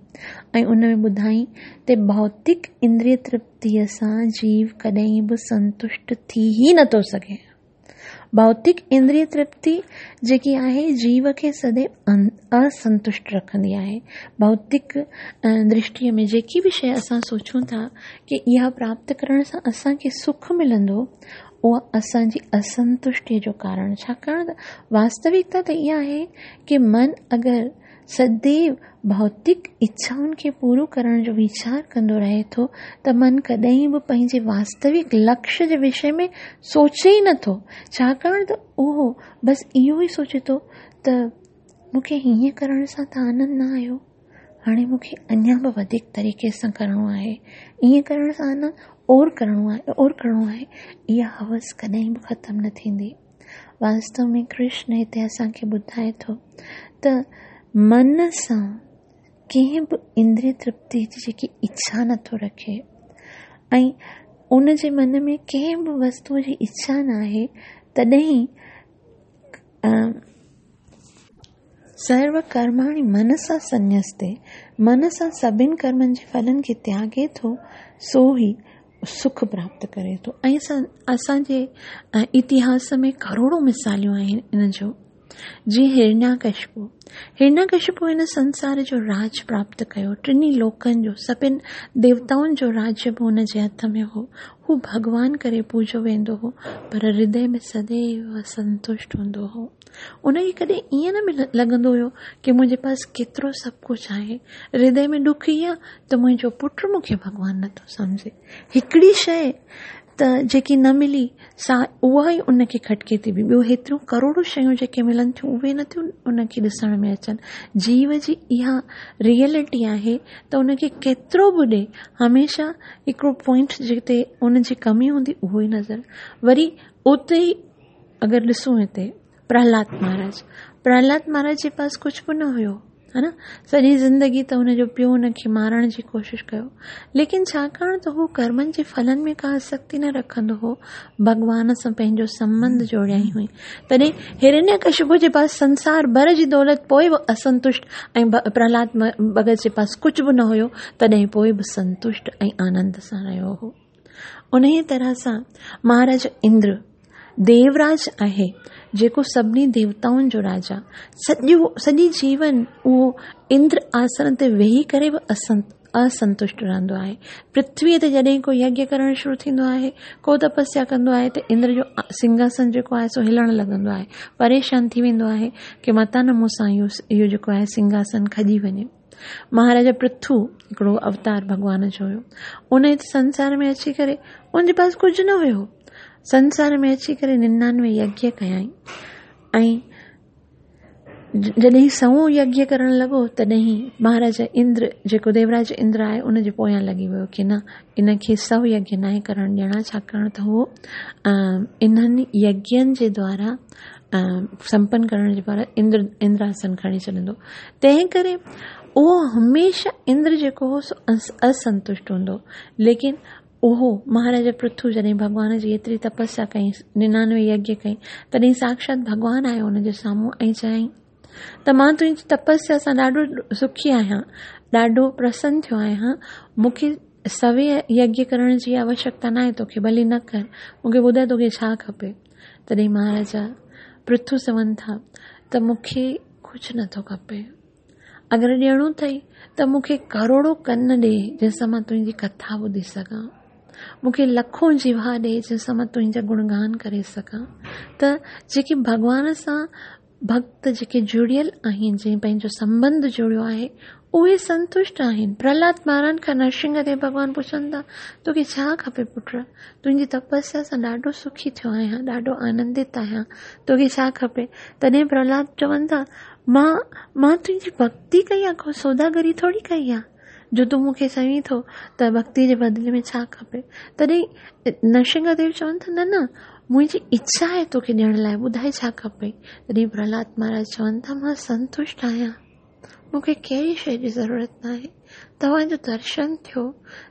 ۽ ان ۾ ٻڌائين ته ڀوتڪ اندري ترپتيء سان جيو ڪڏهن به سنتشٽ ٿي ئي نٿو سگهي. ڀوتڪ اندري ترپتي جيڪي آهي جيو کي سديو اسنتشٽ رکندي آهي. ڀوتڪ درشٽيء ۾ جيڪي به شيء اسان سوچون ٿا ڪي اها پراپت ڪرڻ سان اسان کي سک ملندو، اها اسان جي اسنتشٽيء جو ڪارڻ. ڇاڪاڻ ته واستوڪتا ته اها آهي ڪي من اگر سديو ڀوتڪ اڇائن کي پورو ڪرڻ جو ويچار ڪندو رهي ٿو ته من ڪڏهن به پنهنجي واستوڪ لڪش جي وشي ۾ سوچي ئي نٿو، ڇاڪاڻ ته اهو بس اهو ئي سوچي ٿو ته مون کي هيئن ڪرڻ سان ته آنند نه آيو، هاڻي مون کي اڃا به وڌيڪ طريقي سان ڪرڻو آهي، ائين ڪرڻ سان نه اور ڪرڻو آهي، اور ڪرڻو آهي، اها هوس ڪڏهن به ختم نه ٿيندي. واستو ۾ ڪرشن هتي اسان کي ٻڌائي ٿو ته من سان ڪنهن به اندري ترپتي جي جيڪي اڇا نٿو رکي ۽ ان جي من ۾ ڪنهن به وستو جي اڇا ناهي تڏهن سرو ڪرماڻي منسا سنيستي، من سان سڀن ڪرمن جي ڦلن کي تياڳي ٿو، سو ئي سک پراپت ڪري ٿو. ۽ اسان جي اتهاس ۾ ڪروڙون مثاليون آهن ان جو. جيئن هرڻياڪشپو، هرڻياڪشپو هن سنسار جو راج پراپت ڪيو، ٽنهي لوڪن جو، سڀن ديوتائن جو راجيه به هن جي هٿ ۾ هو. هو ڀڳوان ڪري پوڄيو ويندو هو، پر هردي ۾ سديو اسنتشٽ هوندو هو. ان کي ڪڏهن ائين نه لڳندو هيو ڪي منهنجي پاس ڪيترو سڀ ڪجهه آهي. هردي ۾ ڏک هي آ ته منهنجو پٽ مون کي ڀڳوان نٿو سمجهي. هڪڙي شيء ته جيڪي نه ملي سا اها ئي ان کي کٽڪي ٿي پئي. ٻيو هيتريون ڪروڙون شيون جيڪي ملن ٿيون اهي نٿيون ان کي ڏسڻ ۾ اچن. جيو جي اها ريئلٽي آهي ته ان کي ڪيترو به ڏي هميشه هڪڙو پوائنٽ جتي ان جي ڪمي هوندي اهو ئي نظر وري اتي ئي اگر ڏسون هتي پرهلاد مهاراج پرهلاد مهاراج جي پاس ڪجهه به نه هيو ها نه سڄي زندگي ته هن جو پيء هن کي مارڻ جي ڪوشش ڪيو ليڪن ڇاڪاڻ ته هو ڪرمن جي ڦلن ۾ ڪا آسڪتي نه رکندو هو ڀڳوان سان پنهنجو سنٻنڌ جوڙيائين هئي تڏهن هرڻيڪشپو جي پاس سنسار ڀر جي دولت پوء به اسنتشٽ ۽ پرهلاد ڀڳت جي پاس ڪجهه به نه هيو تڏهن پوء به سنتشٽ ۽ آنند سان رهيو هو انهيء طرح سان مهاراج اندر ديوراج آهي، جيڪو سڀني ديوتائن جو راجا، سڄو سڄي جيون اهو اندر آسن تي ويهي ڪري به اسنتشٽ رهندو آهي. پرٿويء تي جڏهن ڪو يگيه ڪرڻ شروع ٿيندو آهي، ڪو تپسيا ڪندو آهي ته اندر جو سنگهاسن جيڪو آهي سو هلڻ لڳندو آهي. پريشان ٿي ويندو آهي ڪي متان نه مون سان اهو جيڪو آهي سنگهاسن کڄي وڃي. مهاراجا پرٿو هڪڙو اوتار ڀڳوان جو هيو. ان هت سنسار ۾ اچي ڪري ان جي پاس ڪجهه نه هيو. سنسار ۾ اچي ڪري ننانوي يگيه ڪيائين ۽ جڏهن سئون يگيه ڪرڻ لڳو تڏهن مهاراجا اندر جيڪو ديوراج اندر آهي ان جي پويان لڳي ويو ڪي نه ان کي سئو يگيه ناهي ڪرڻ ڏيڻا ڇاڪاڻ ته هو انهن يگين جي دوارا سمپن ڪرڻ جي دوارا اندر اندراسن کڻي ڇڏندو تنهن ڪري اهو هميشه اندر جيڪو هو سو اسنتشٽ هوندو ليڪن اهو مهاراجا پرٿو جڏهن ڀڳوان جي ايتري تپسيا ڪئي ننانوي يگيه ڪئي تڏهن ساڪشات ڀڳوان آيو ان جي سامهون ۽ چيائين ته مان تنهنجي تپسيا سان ڏاڍو سکي آهيان ڏاڍو پرسن ٿيو آهيان مون کي سوين يگيه ڪرڻ جي آوشڪتا ناهي توکي ڀلي نه ڪر مون کي ٻڌاء توکي ڇا کپي تڏهن مهاراجا پرٿو چون ٿا ته مون کي ڪجهه نٿو کپي. اگر ڏيڻو اٿئي ته مون کي ڪروڙو ڪن ڏي جنهن سان مان تنهنجي ڪٿا ٻڌي سگهان. مون کي لکون جيوا ڏي جنهن سان مان تنهنجا گڻگان ڪري سگهان. ته جيڪي ڀڳوان سان ڀڳت جيڪي جڙيل آهن، جنهن پنهنجو سنٻنڌ جوڙيو آهي، اهي سنتشٽ آهن. پرهلاد مهاراج کان نرسنگهه ديو ڀڳوان پڇن ٿا، توکي ڇا کپي پٽ؟ تنهنجي تپسيا سان ڏاڍو سکي ٿيو آهيان، ڏاڍو آنندت آهيان، توکي ڇا کپي؟ تڏهن پرهلاد چون ٿا، مان، مان تنهنجي ڀڳتي ڪئي آهي، ڪو سوداگري ٿوري ڪئي آهي، جو تون مون کي چوين ٿو ته ڀڳتي جي بدلي ۾ ڇا کپي؟ تڏهن نرسنگهه ديو چون ٿا، نه نه، منهنجي اڇا آهي توکي ڏيڻ لاء، ٻڌائي ڇا کپي؟ تڏهن پرهلاد مهاراج چون ٿا، مان سنتشٽ آهيان، مون کي ڪهڙي شيء جي ضرورت ناهي، توهان جو درشن ٿيو،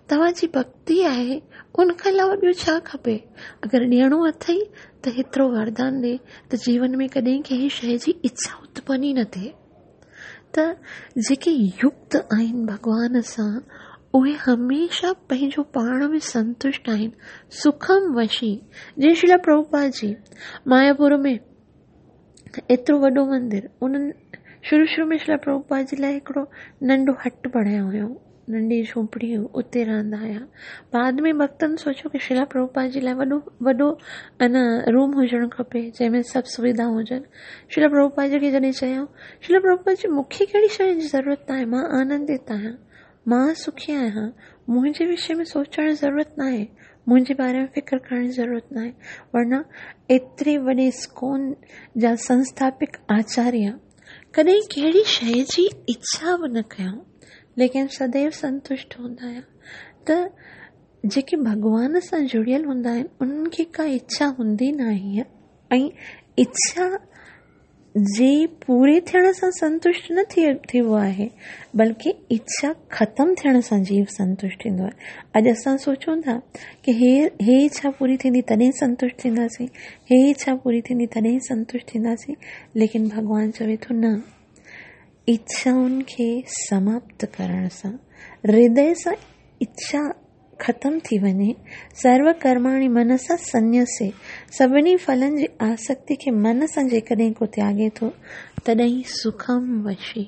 توهان جي ڀڳتي آهي، ان کان علاوه ٻيو ڇا کپي؟ اگر ڏيڻو اٿئي ته هيترو وردان ڏي ته جيون ۾ ڪڏهن ڪنهن شيء جي اڇا اتپن ئي نه ٿئي. ته جيڪي يڪت آهن ڀڳوان سان، اهي هميشه پنهنجو پاڻ ۾ سنتشٽ آهن، سکم وشي. جيئن شريلا پرڀوپاد جي ماياپور ۾ ايترو وڏو مندر، انهن شروع شروع ۾ شريلا پرڀوپاد جي لاء هڪڙو ننڍو هٽ بڻايو هيو، ننڍي جهوپڙي هئي، اتي رهندا هيا. بعد ۾ ڀڳتن سوچيو ڪه شريلا پرڀوپاد جي لاء وڏو وڏو ان روم هجڻ کپي جنهن ۾ سڀ سويڌائون هجن. شريلا پرڀوپاد جي کي جڏهن چيائون، شريلا پرڀوپاد جي مون کي ڪهڙي شيء جي ضرورت ناهي، مان آنندت آهيان، مان سکي آهيان، منهنجي وشي ۾ سوچڻ جي ضرورت ناهي، منهنجي باري ۾ فڪر ڪرڻ جي ضرورت ناهي. ورنه ايتري وڏي اسڪون جا سنسٿاپڪ آچاريه ڪڏهن ڪهڙي شيء جي اڇا به نه ڪيائون، ليڪن سديو سنتشٽ هوندا هيا. ته جيڪي ڀڳوان سان جڙيل هوندا آهن، انهن کي ڪا اڇا هوندي ناهي ۽ اڇا جي پوري ٿيڻ سان سنتشٽ نه ٿيبو آهي، بلڪه اڇا ختم ٿيڻ سان جيو سنتشٽ ٿيندو آهي. اڄ اسان سوچون ٿا ڪه هي اڇا پوري ٿيندي تڏهن سنتشٽ ٿينداسين، هي اڇا پوري ٿيندي تڏهن سنتشٽ ٿينداسين، ليڪن ڀڳوان چوي ٿو نه، اڇائن کي سماپت ڪرڻ سان، هردي سان اڇا ختم ٿي وڃي، سرو ڪرماڻي منسا سنيسي، سڀني ڦلن جي آسڪتي کي من سان جيڪڏهن ڪو تياڳي ٿو، تڏهن سکم وشي،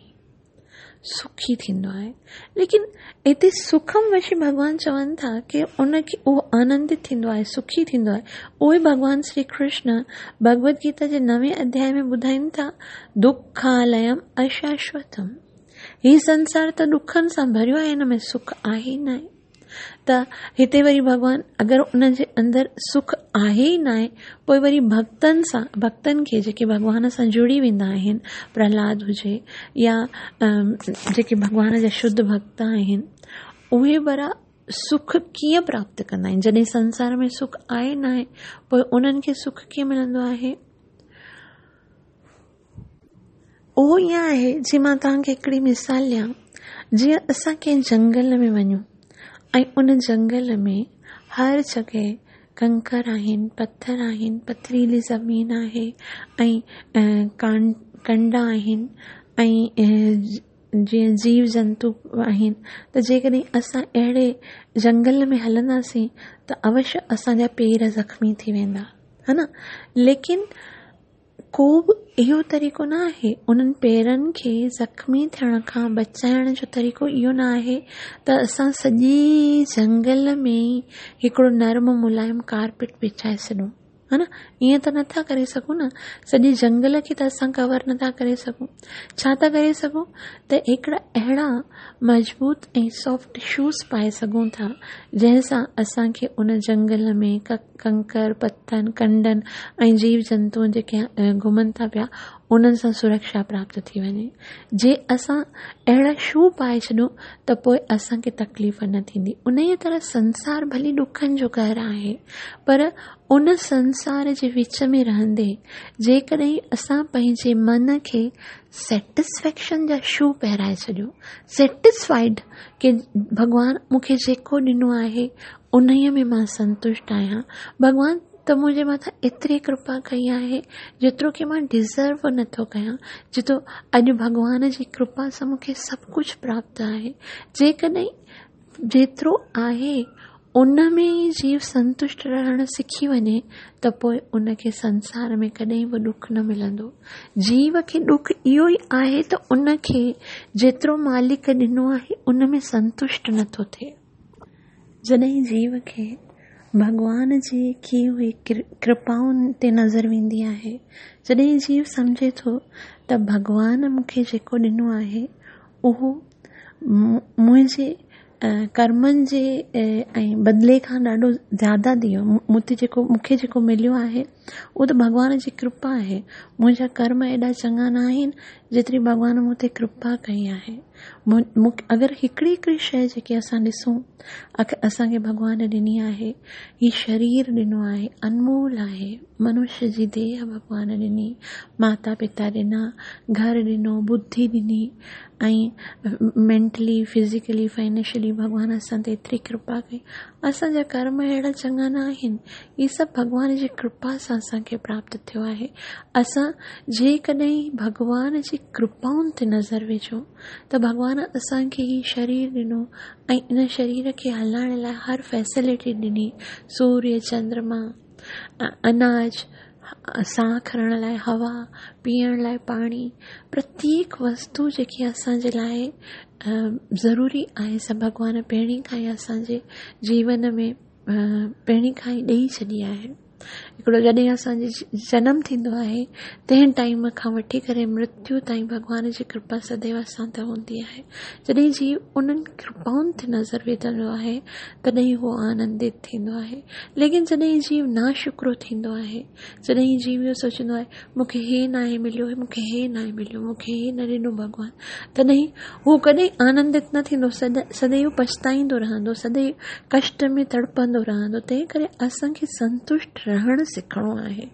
سکي ٿيندو آهي. ليڪن هتي سکم وشي ڀڳوان چون ٿا ڪي ان کي اهو آنندت ٿيندو آهي، سکي ٿيندو آهي. اهو ئي ڀڳوان شري ڪرشن ڀڳوت گيتا جي نوين اڌيائي ۾ ٻڌائين ٿا، دکاليم اشاشوتم. هي سنسار ته ڏکن سان ڀريو آهي، هن ۾ سک آهي ئي ناهي. ته هتي وري ڀڳوان اگر ان جي اندر سک آهي ئي ناهي، پوء وري ڀڳتن سان، ڀڳتن کي جيڪي ڀڳوان سان جڙي ويندا آهن، پرهلاد هجي يا جيڪي ڀڳوان جا شڌ ڀڳت آهن، اهي ورا سک ڪيئن پراپت ڪندا آهن؟ جڏهن سنسار ۾ سک آهي ناهي، پوء انهن کي سک ڪيئن ملندو آهي؟ اهو ائين آهي جيئن مان توهان کي هڪڙي مثال ڏيان، جيئن اسان ڪنهن جنگل ۾ وڃون ۽ ان جنگل ۾ هر جڳهه ڪنڪر آهن، پٿر آهن، پٿريلي زمين آهي ۽ ڪنڊا آهن ۽ جيئن جيو جنتو آهن ته جيڪڏهن اسان اهڙي جنگل ۾ هلنداسين ته اوشيه اسان جا پير زخمي ٿي ويندا ها نه ليڪن ڪو به اهو طريقو نه آهي انهن پيرن کي زخمي ٿيڻ کان بچائڻ جو طريقو اهو نه آهي ته اسان سڄي جنگل ۾ هڪڙو نرم ملائم ڪارپيٽ وڇائي ڇڏون ها نه ائين ته نٿا ڪري سگهون نه سڄي جنگل کي ته اسان ڪور نٿا ڪري سگهون ڇا ٿا ڪري سگهون ته هڪڙا اهڙا مضبوط ۽ سافٽ شوز پائي سگهون ٿا جنهن سان اسان کي ان جنگل ۾ ڪنڪر، پٿرن، ڪنڊن ۽ جيو جنتو جيڪي گهمن ٿا پيا انهن سان سرڪشا پراپت ٿي وڃي. جي اسان اهڙا شو پائي ڇڏون ته پوء اسان کي تڪليف نه ٿيندي. انهيء طرح سنسار ڀلي ڏکن جو گهر آهي پر ان سنسار جي وچ ۾ رهندي جيڪڏهن اسان پنهنجي من کي سيٽسفيڪشن جا شو پهرائي ڇڏيون، سيٽسفائيڊ ڪي ڀڳوان مون کي جيڪو ڏنو آهي انهيء ۾ مان سنتشٽ آهيان. ڀڳوان ته منهنجي مٿان ايتري ڪرپا ڪئي آهي، جيترو ڪي مان ڊزرو نه ٿو ڪيان، جيترو اڄ ڀڳوان جي ڪرپا سان مون کي سڀ ڪجهه پراپت آهي. جيڪڏهن جيترو آهي ان ۾ ئي جيو سنتشٽ رهڻ سکي وڃي ته پوء ان کي سنسار ۾ ڪڏهن به ڏک نه ملندو. جيو کي ڏک اهو ئي آهي ته ان کي جيترو مالڪ ڏنو آهي ان ۾ سنتشٽ نه ٿو ٿئي. جڏهن جيو کي ڀڳوان جي ڪئي هئي ڪرپائن تي نظر ويندي آهي. جڏهن جيو سمجهي ٿو ته ڀڳوان مون کي جيڪو ڏنو آهي اهو منهنجي ڪرمن جي ۽ بدلي کان ڏاڍو زياده ڏيو مون تي جيڪو مون کي جيڪو مليو آهي اهو ته ڀڳوان جي ڪرپا آهي منهنجا ڪرم ايڏا چڱا نه آهن جيتري ڀڳوان مون تي ڪرپا ڪئي آهي مون اگر هڪڙي هڪڙي شيء جيڪي اسان ڏسون اسان کي ڀڳوان ڏني آهي هي شرير ڏنو آهي انمول آهي منش جي ديهه ڀڳوان ڏني ماتا پتا ڏنا گهر ڏنو ٻڌي ڏني ۽ مينٽلي فزيڪلي فائنينشلي ڀڳوان اسان تي ايتري ڪرپا ڪئي اسان جا ڪرم اهڙا چڱا نه آهن هي سڀ ڀڳوان جي ڪرپا سان اسان کي پراپت ٿيو آهي. اسان جيڪڏهن ڀڳوان جي ڪرپائن تي نظر وجهون ته ڀڳوان اسان کي هي شرير ڏنو ۽ ان شرير کي هلائڻ لاء هر فيسلٽي ڏني، سوريه، چندرما، اناج، ساهه کڻڻ لاء هوا، پيئڻ لاء پاڻي، پرتيڪ وستو جيڪي اسان جي لاء ضروري آهي سا ڀڳوان پهرين کان ئي اسان جي جيون ۾ پهرين کان ئي ڏئي ڇڏي آهي. هڪڙو جڏهن اسان جي جنم ٿيندو آهي تنهن ٽائيم کان وٺي ڪري مرتيو تائين ڀڳوان جي ڪرپا سديو اسان تي هوندي آهي. جڏهن جيو انهن ڪرپائن تي نظر وجهندو آهي تڏهن هو آنندت ٿيندو آهي. ليڪن جڏهن جيو ناشڪرو ٿيندو آهي جڏهن جيو اهو سوچيندو آهي مون کي هي ناهي مليو مون کي هي ناهي مليو مون کي هي نه ڏنو ڀڳوان تڏهن هو ڪڏهن آنندت نه ٿيندو، سدائين پڇتائيندو رهندو، سدائين ڪشٽ ۾ تڙپندو رهندو، تنهن ڪري اسان کي سنتشٽ رهڻ سکڻو آهي.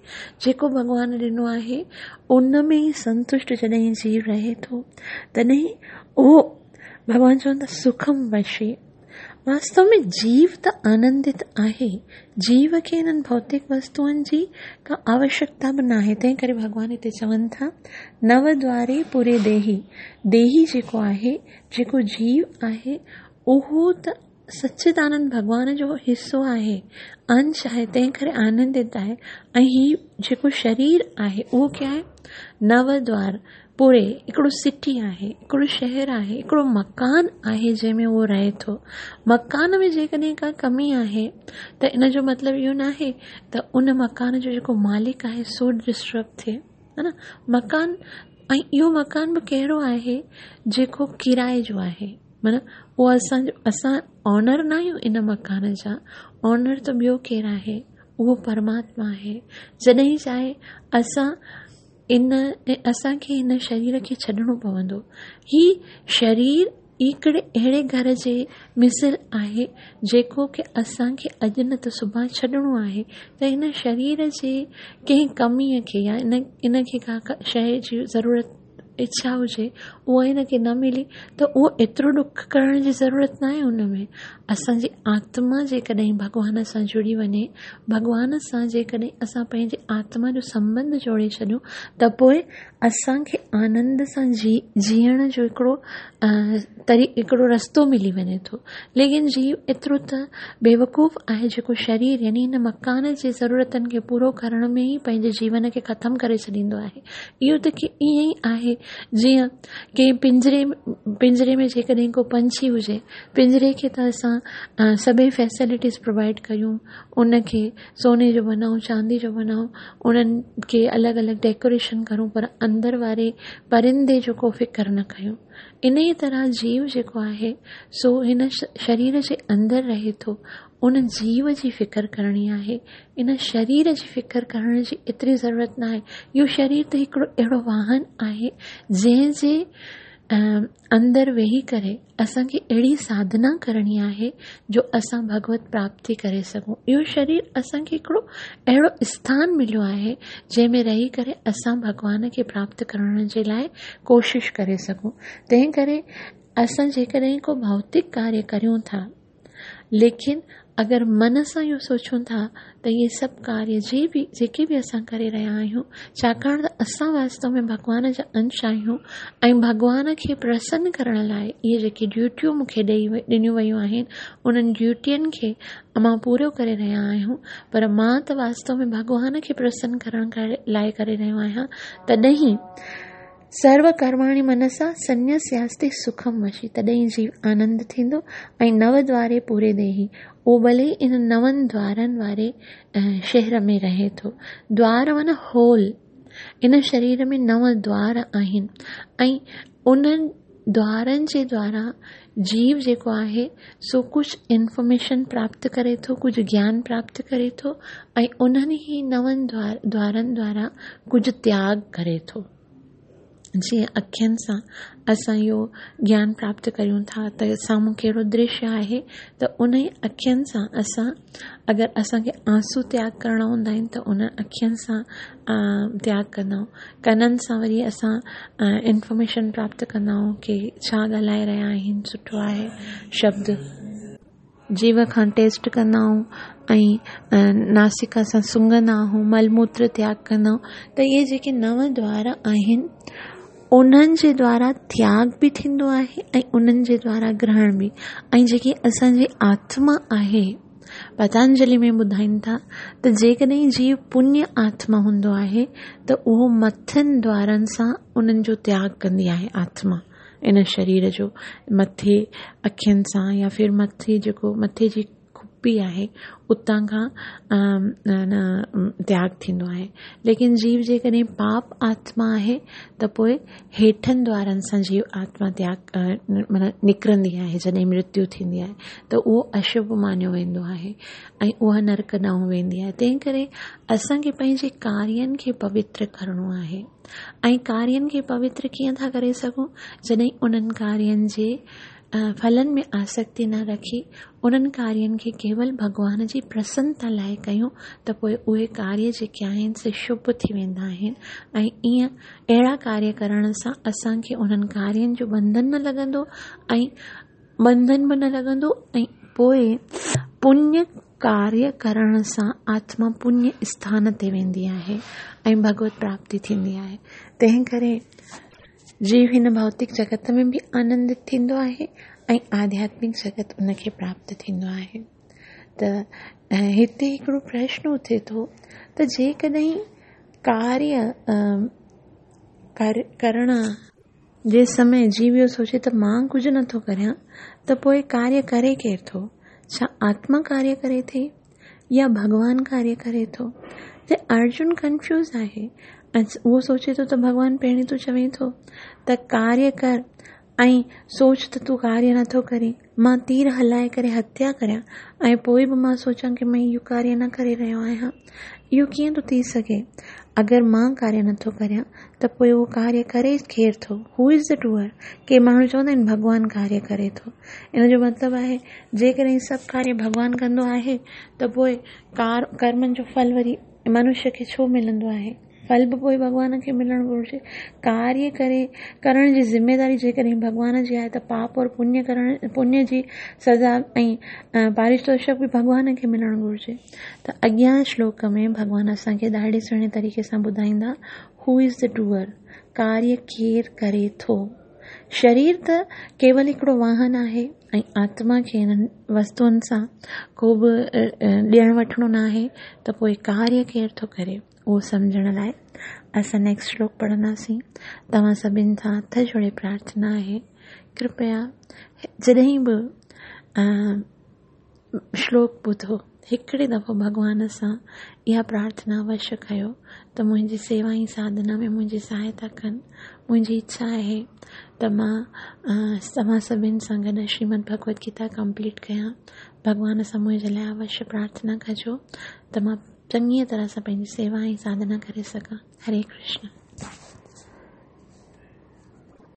جيڪو ڀڳوان ڏنو آهي، ان ۾ ئي سنتشٽ جڏهن جيو رهي ٿو، تڏهن اهو ڀڳوان چون ٿا سکم وشي. واستو ۾ جيو ته آنندت آهي، جيو کي انهن ڀوتڪ وستوئن جي ڪا آوشڪتا به ناهي، تنهن ڪري ڀڳوان هتي چون ٿا، نو دواري پوري ديهي، ديهي جيڪو آهي، جيڪو جيو آهي، اهو ته سچدانند ڀڳوان جو حصو آهي، انش آهي، تنهن ڪري آنندت آهي ۽ هي جيڪو شرير آهي، اهو ڪيا آهي؟ نو دوار، پوري هڪڙو سٽي آهي، هڪڙو شهر آهي، هڪڙو مڪان آهي جنهن ۾ اهو رهي ٿو. مڪان ۾ جيڪڏهن ڪا ڪمي آهي ته ان جو مطلب اهو ناهي ته ان مڪان جو جيڪو مالڪ آهي سو ڊسٽرب ٿئي ها نه مڪان ۽ اهو مڪان به ڪهڙو آهي جيڪو ڪرائي جو آهي معنيٰ اهو اسان جو اسان اونر نه آهيون ان مڪان جا اونر ته ٻيو ڪير آهي اهو پرماتما آهي جڏهن چاهي اسان ان اسان کي هن شرير کي ڇڏڻو پوندو. هي شرير هڪڙي اهڙي گهر جي مثل آهي جيڪو ڪي اسان کي اڄ نه ته سڀان ڇڏڻو آهي ته هن شرير جي ڪنهن ڪميء کي يا ان کي ڪا شيء جي ضرورت اڇا هجي اها هن کي نه ملي ته اهو ايترو ڏک ڪرڻ جي ضرورت ناهي ان ۾ اسان جي آتما جيڪڏهن ڀڳوان سان جڙي وڃي ڀڳوان سان جيڪڏهن اسان پنهنجي آتما جو سنٻنڌ جوڙي ڇڏيون ته پوء اسان کي آنند سان جي جيئڻ جو هڪڙو طري هڪڙو رستو ملي وڃي ٿو ليڪن جيو ايترو ته بيوقوف آهي جيڪو شرير يعني هن مڪان جي ضرورتن کي پورو ڪرڻ ۾ ئي پنهنجي جيون کي ختم ڪري ڇڏيندو آهي اهو ته ڪي ائين ئي آهي جيئن ڪنهن پڃري پڃري ۾ جيڪڏهن ڪو پنڇي هجي پڃري کي ته اسان سڀئي فيسلٽيز پرووائيڊ ڪيون ان کي سوني جو بنائون چاندي جو بنائون انهن کي الڳ الڳ ڊيڪوريشن ڪرون پر اندر واري پرندي جو ڪو فڪر نه ڪيون ان ئي طرح جيو جيڪو آهي سو هن شرير جي اندر رهي ٿو ان جيو جي فڪر ڪرڻي آهي ان شرير جي فڪر ڪرڻ جي ايتري ضرورت ناهي. اهو شرير ته هڪڙو اهڙو واهن آهي جنهن جي اندر ويهي ڪري اسان کي اهڙي ساڌنا ڪرڻي آهي جو اسان ڀڳوت پراپتي ڪري سگهون. اهو شرير اسان کي هڪڙو اهڙو اسٿان مليو آهي جنهن ۾ رهي ڪري اسان ڀڳوان کي پراپت ڪرڻ جي لاء ڪوشش ڪري سگهون. تنهن ڪري اسان جيڪڏهن ڪو ڀوتڪ ڪاريه ڪريون ٿا ليڪن اگر من سان اهو سوچون ٿا ته اهي سڀ ڪاريه جي به جيڪي به اسان ڪري رهيا آهيون ڇاڪاڻ ته اسان واستو ۾ ڀڳوان جا انش آهيون ۽ ڀڳوان کي پرسن ڪرڻ لاء اهي جيڪي ڊيوٽيون مون کي ڏئي ڏنيون ويون آهن انهن ڊيوٽين کي مان پورو ڪري رهيا آهيون پر مان ته واستو ۾ ڀڳوان کي پرسن ڪرڻ لاء ڪري رهيو آهيان تڏهن سرو ڪرماڻي منسا سنيسياستي سکم وشي، تڏهن جيو آنند ٿيندو ۽ نو دواري پوري ديهي، اهو ڀلي ئي ان نون دوارن واري شهر ۾ رهي ٿو. دوار معنيٰ هول، ان شرير ۾ نو دوار آهن ۽ انهن دوارن جي دوارا جيو جيڪو آهي سو ڪجهه انفارميشن پراپت ڪري ٿو، ڪجهه گيان پراپت ڪري ٿو ۽ انهن ئي نون دوارن دوارا ڪجهه تياڳ ڪري ٿو. جيئن اکين سان اسان اهو گيان پراپت ڪريون ٿا ته سامهون ڪهڙو درشيه آهي ته ان ئي اکين سان اسان اگر اسان کي آنسو تياڳ ڪرڻا هوندا آهن ته ان اکين سان تياڳ ڪندا آهيون ڪنن سان وري اسان انفارميشن پراپت ڪندا آهيون ڪي ڇا ڳالهائي رهيا آهن سٺو آهي شبد جيو کان ٽيسٽ ڪندا آهيون ۽ ناسڪا سان سونگهندا آهيون مل موتر تياڳ ڪندا آهيون ته اهي جيڪي نو دوار آهن انهن جي دوارا تياڳ به ٿيندو آهي ۽ انهن جي دوارا گرهڻ به ۽ جيڪي اسان جي آتما آهي پتانجلي ۾ ٻڌائين ٿا ته جيڪڏهن جيو پڃ آتما هوندو آهي ته اهو مٿن دوارن سان انهن جو تياڳ ڪندي آهي آتما ان شرير جو مٿي اکين سان يا ڦر مٿي جيڪو مٿي جي کپي آهي اتان کان تياڳ ٿيندو آهي ليڪن جيو جيڪڏهن پاپ آتما آهي ته پوء هيٺن دوارن سان جيو آتما تياڳ معنيٰ نڪرندي آهي جڏهن مرتيو ٿيندي آهي ته اهو اشڀ مانيو ويندو آهي ۽ اها نرڪ ڏانهن ويندي آهي تنهن ڪري اسان کي پنهنجي ڪارين کي پوتر ڪرڻو آهي ۽ ڪارين کي پوتر ڪيئن ٿا ڪري سگهون؟ جڏهن انهن ڪارين جي ڦلن ۾ آسڪتي نه رکي انهن ڪارين کي ڪيول ڀڳوان جي پرسنتا لاء ڪيون ته پوء اهي ڪاريه جيڪي آهن سي شڀ ٿي ويندا آهن ۽ ائين اهڙا ڪاريه ڪرڻ سان اسان کي انهن ڪارين جو ٻنڌن نه لڳندو ۽ ٻنڌن به نه لڳندو ۽ پوء پڃ ڪاريه ڪرڻ سان آتما پڃ اسٿان تي ويندي آهي ۽ ڀڳوت پراپتي ٿيندي آهي. تنهن ڪري جيو هن ڀوتڪ جڳت ۾ به آنندت ٿيندو آهي ۽ آڌياتمڪ جڳت ان کي پراپت ٿيندو آهي. ته هتي هڪڙو پرشن اٿي ٿو ته جيڪڏهن ڪاريه ڪرڻ جي سمي جيو اهو سوچي ته مان ڪجهه نٿو ڪريان ته پوء ڪاريه ڪري ڪير ٿو؟ ڇا آتما ڪاريه ڪري ٿي يا ڀڳوان ڪاريه ڪري ٿو؟ ته ارجن ڪنفيوز آهي ۽ اهو سوچي ٿو ته ڀڳوان پهرين تون چوين ٿو ته ڪاريه ڪر ۽ سوچ ته تون ڪاريه نٿو ڪرين، مان تير هلائي ڪري هتيا ڪريان ۽ پوء به مان سوچان ڪي مان اهو ڪاريه نه ڪري رهيو آهيان. اهو ڪيئن ٿو ٿي سگهي؟ اگر مان ڪاريه نٿو ڪريان ته پوء اهو ڪاريه ڪري ڪير ٿو؟ Who is the doer? ڪي ماڻهو چوندا آهن ڀڳوان ڪاريه ڪري ٿو. ان جو مطلب آهي جيڪڏهن سڀ ڪاريه ڀڳوان ڪندو آهي ته پوء ڪرمن جو ڦل وري منشيه کي ڇو ملندو آهي؟ ڦل به پوء ڀڳوان کي ملڻ گهرجي. ڪاريه ڪري ڪرڻ جي ذميداري جيڪڏهن ڀڳوان جي آهي ته پاپ اور پڃ ڪرڻ پڃ جي سزا ۽ پاريتوشڪ به ڀڳوان کي ملڻ گهرجي. ته اڳيان شلوڪ ۾ ڀڳوان اسان کي ڏاڍي سهڻي طريقي سان ٻڌائيندا Who is the doer؟ ڪاريه ڪير ڪري ٿو؟ شرير ته ڪيول هڪڙو واهن آهي ۽ آتما کي انهن وستوئن سان ڪو به ڏيڻ وٺڻو ناهي ته پوء ڪاريه ڪير ٿو ڪري؟ اهو سمجهڻ لاء اسان نيڪسٽ شلوڪ پڙهنداسين. توهان سڀن سان هٿ جوڙي پرارٿنا آهي ڪرپيا جڏهن به شلوڪ ٻڌو هڪڙي دفعو ڀڳوان سان اها پرارٿنا اوشيه ڪيو ته منهنجي سيوا ۽ ساڌنا ۾ منهنجي سهائتا ڪن منهنجي اڇا آهي ته مان توهان سڀن سان گڏ شريمد ڀڳوت گيتا ڪمپليٽ ڪيان ڀڳوان سان منهنجي لاء اوشيه پرارٿنا ڪجو ته مان چڱيء طرح سان پنهنجي سيوا ۽ ساڌنا ڪري سگهان. هري ڪرشن.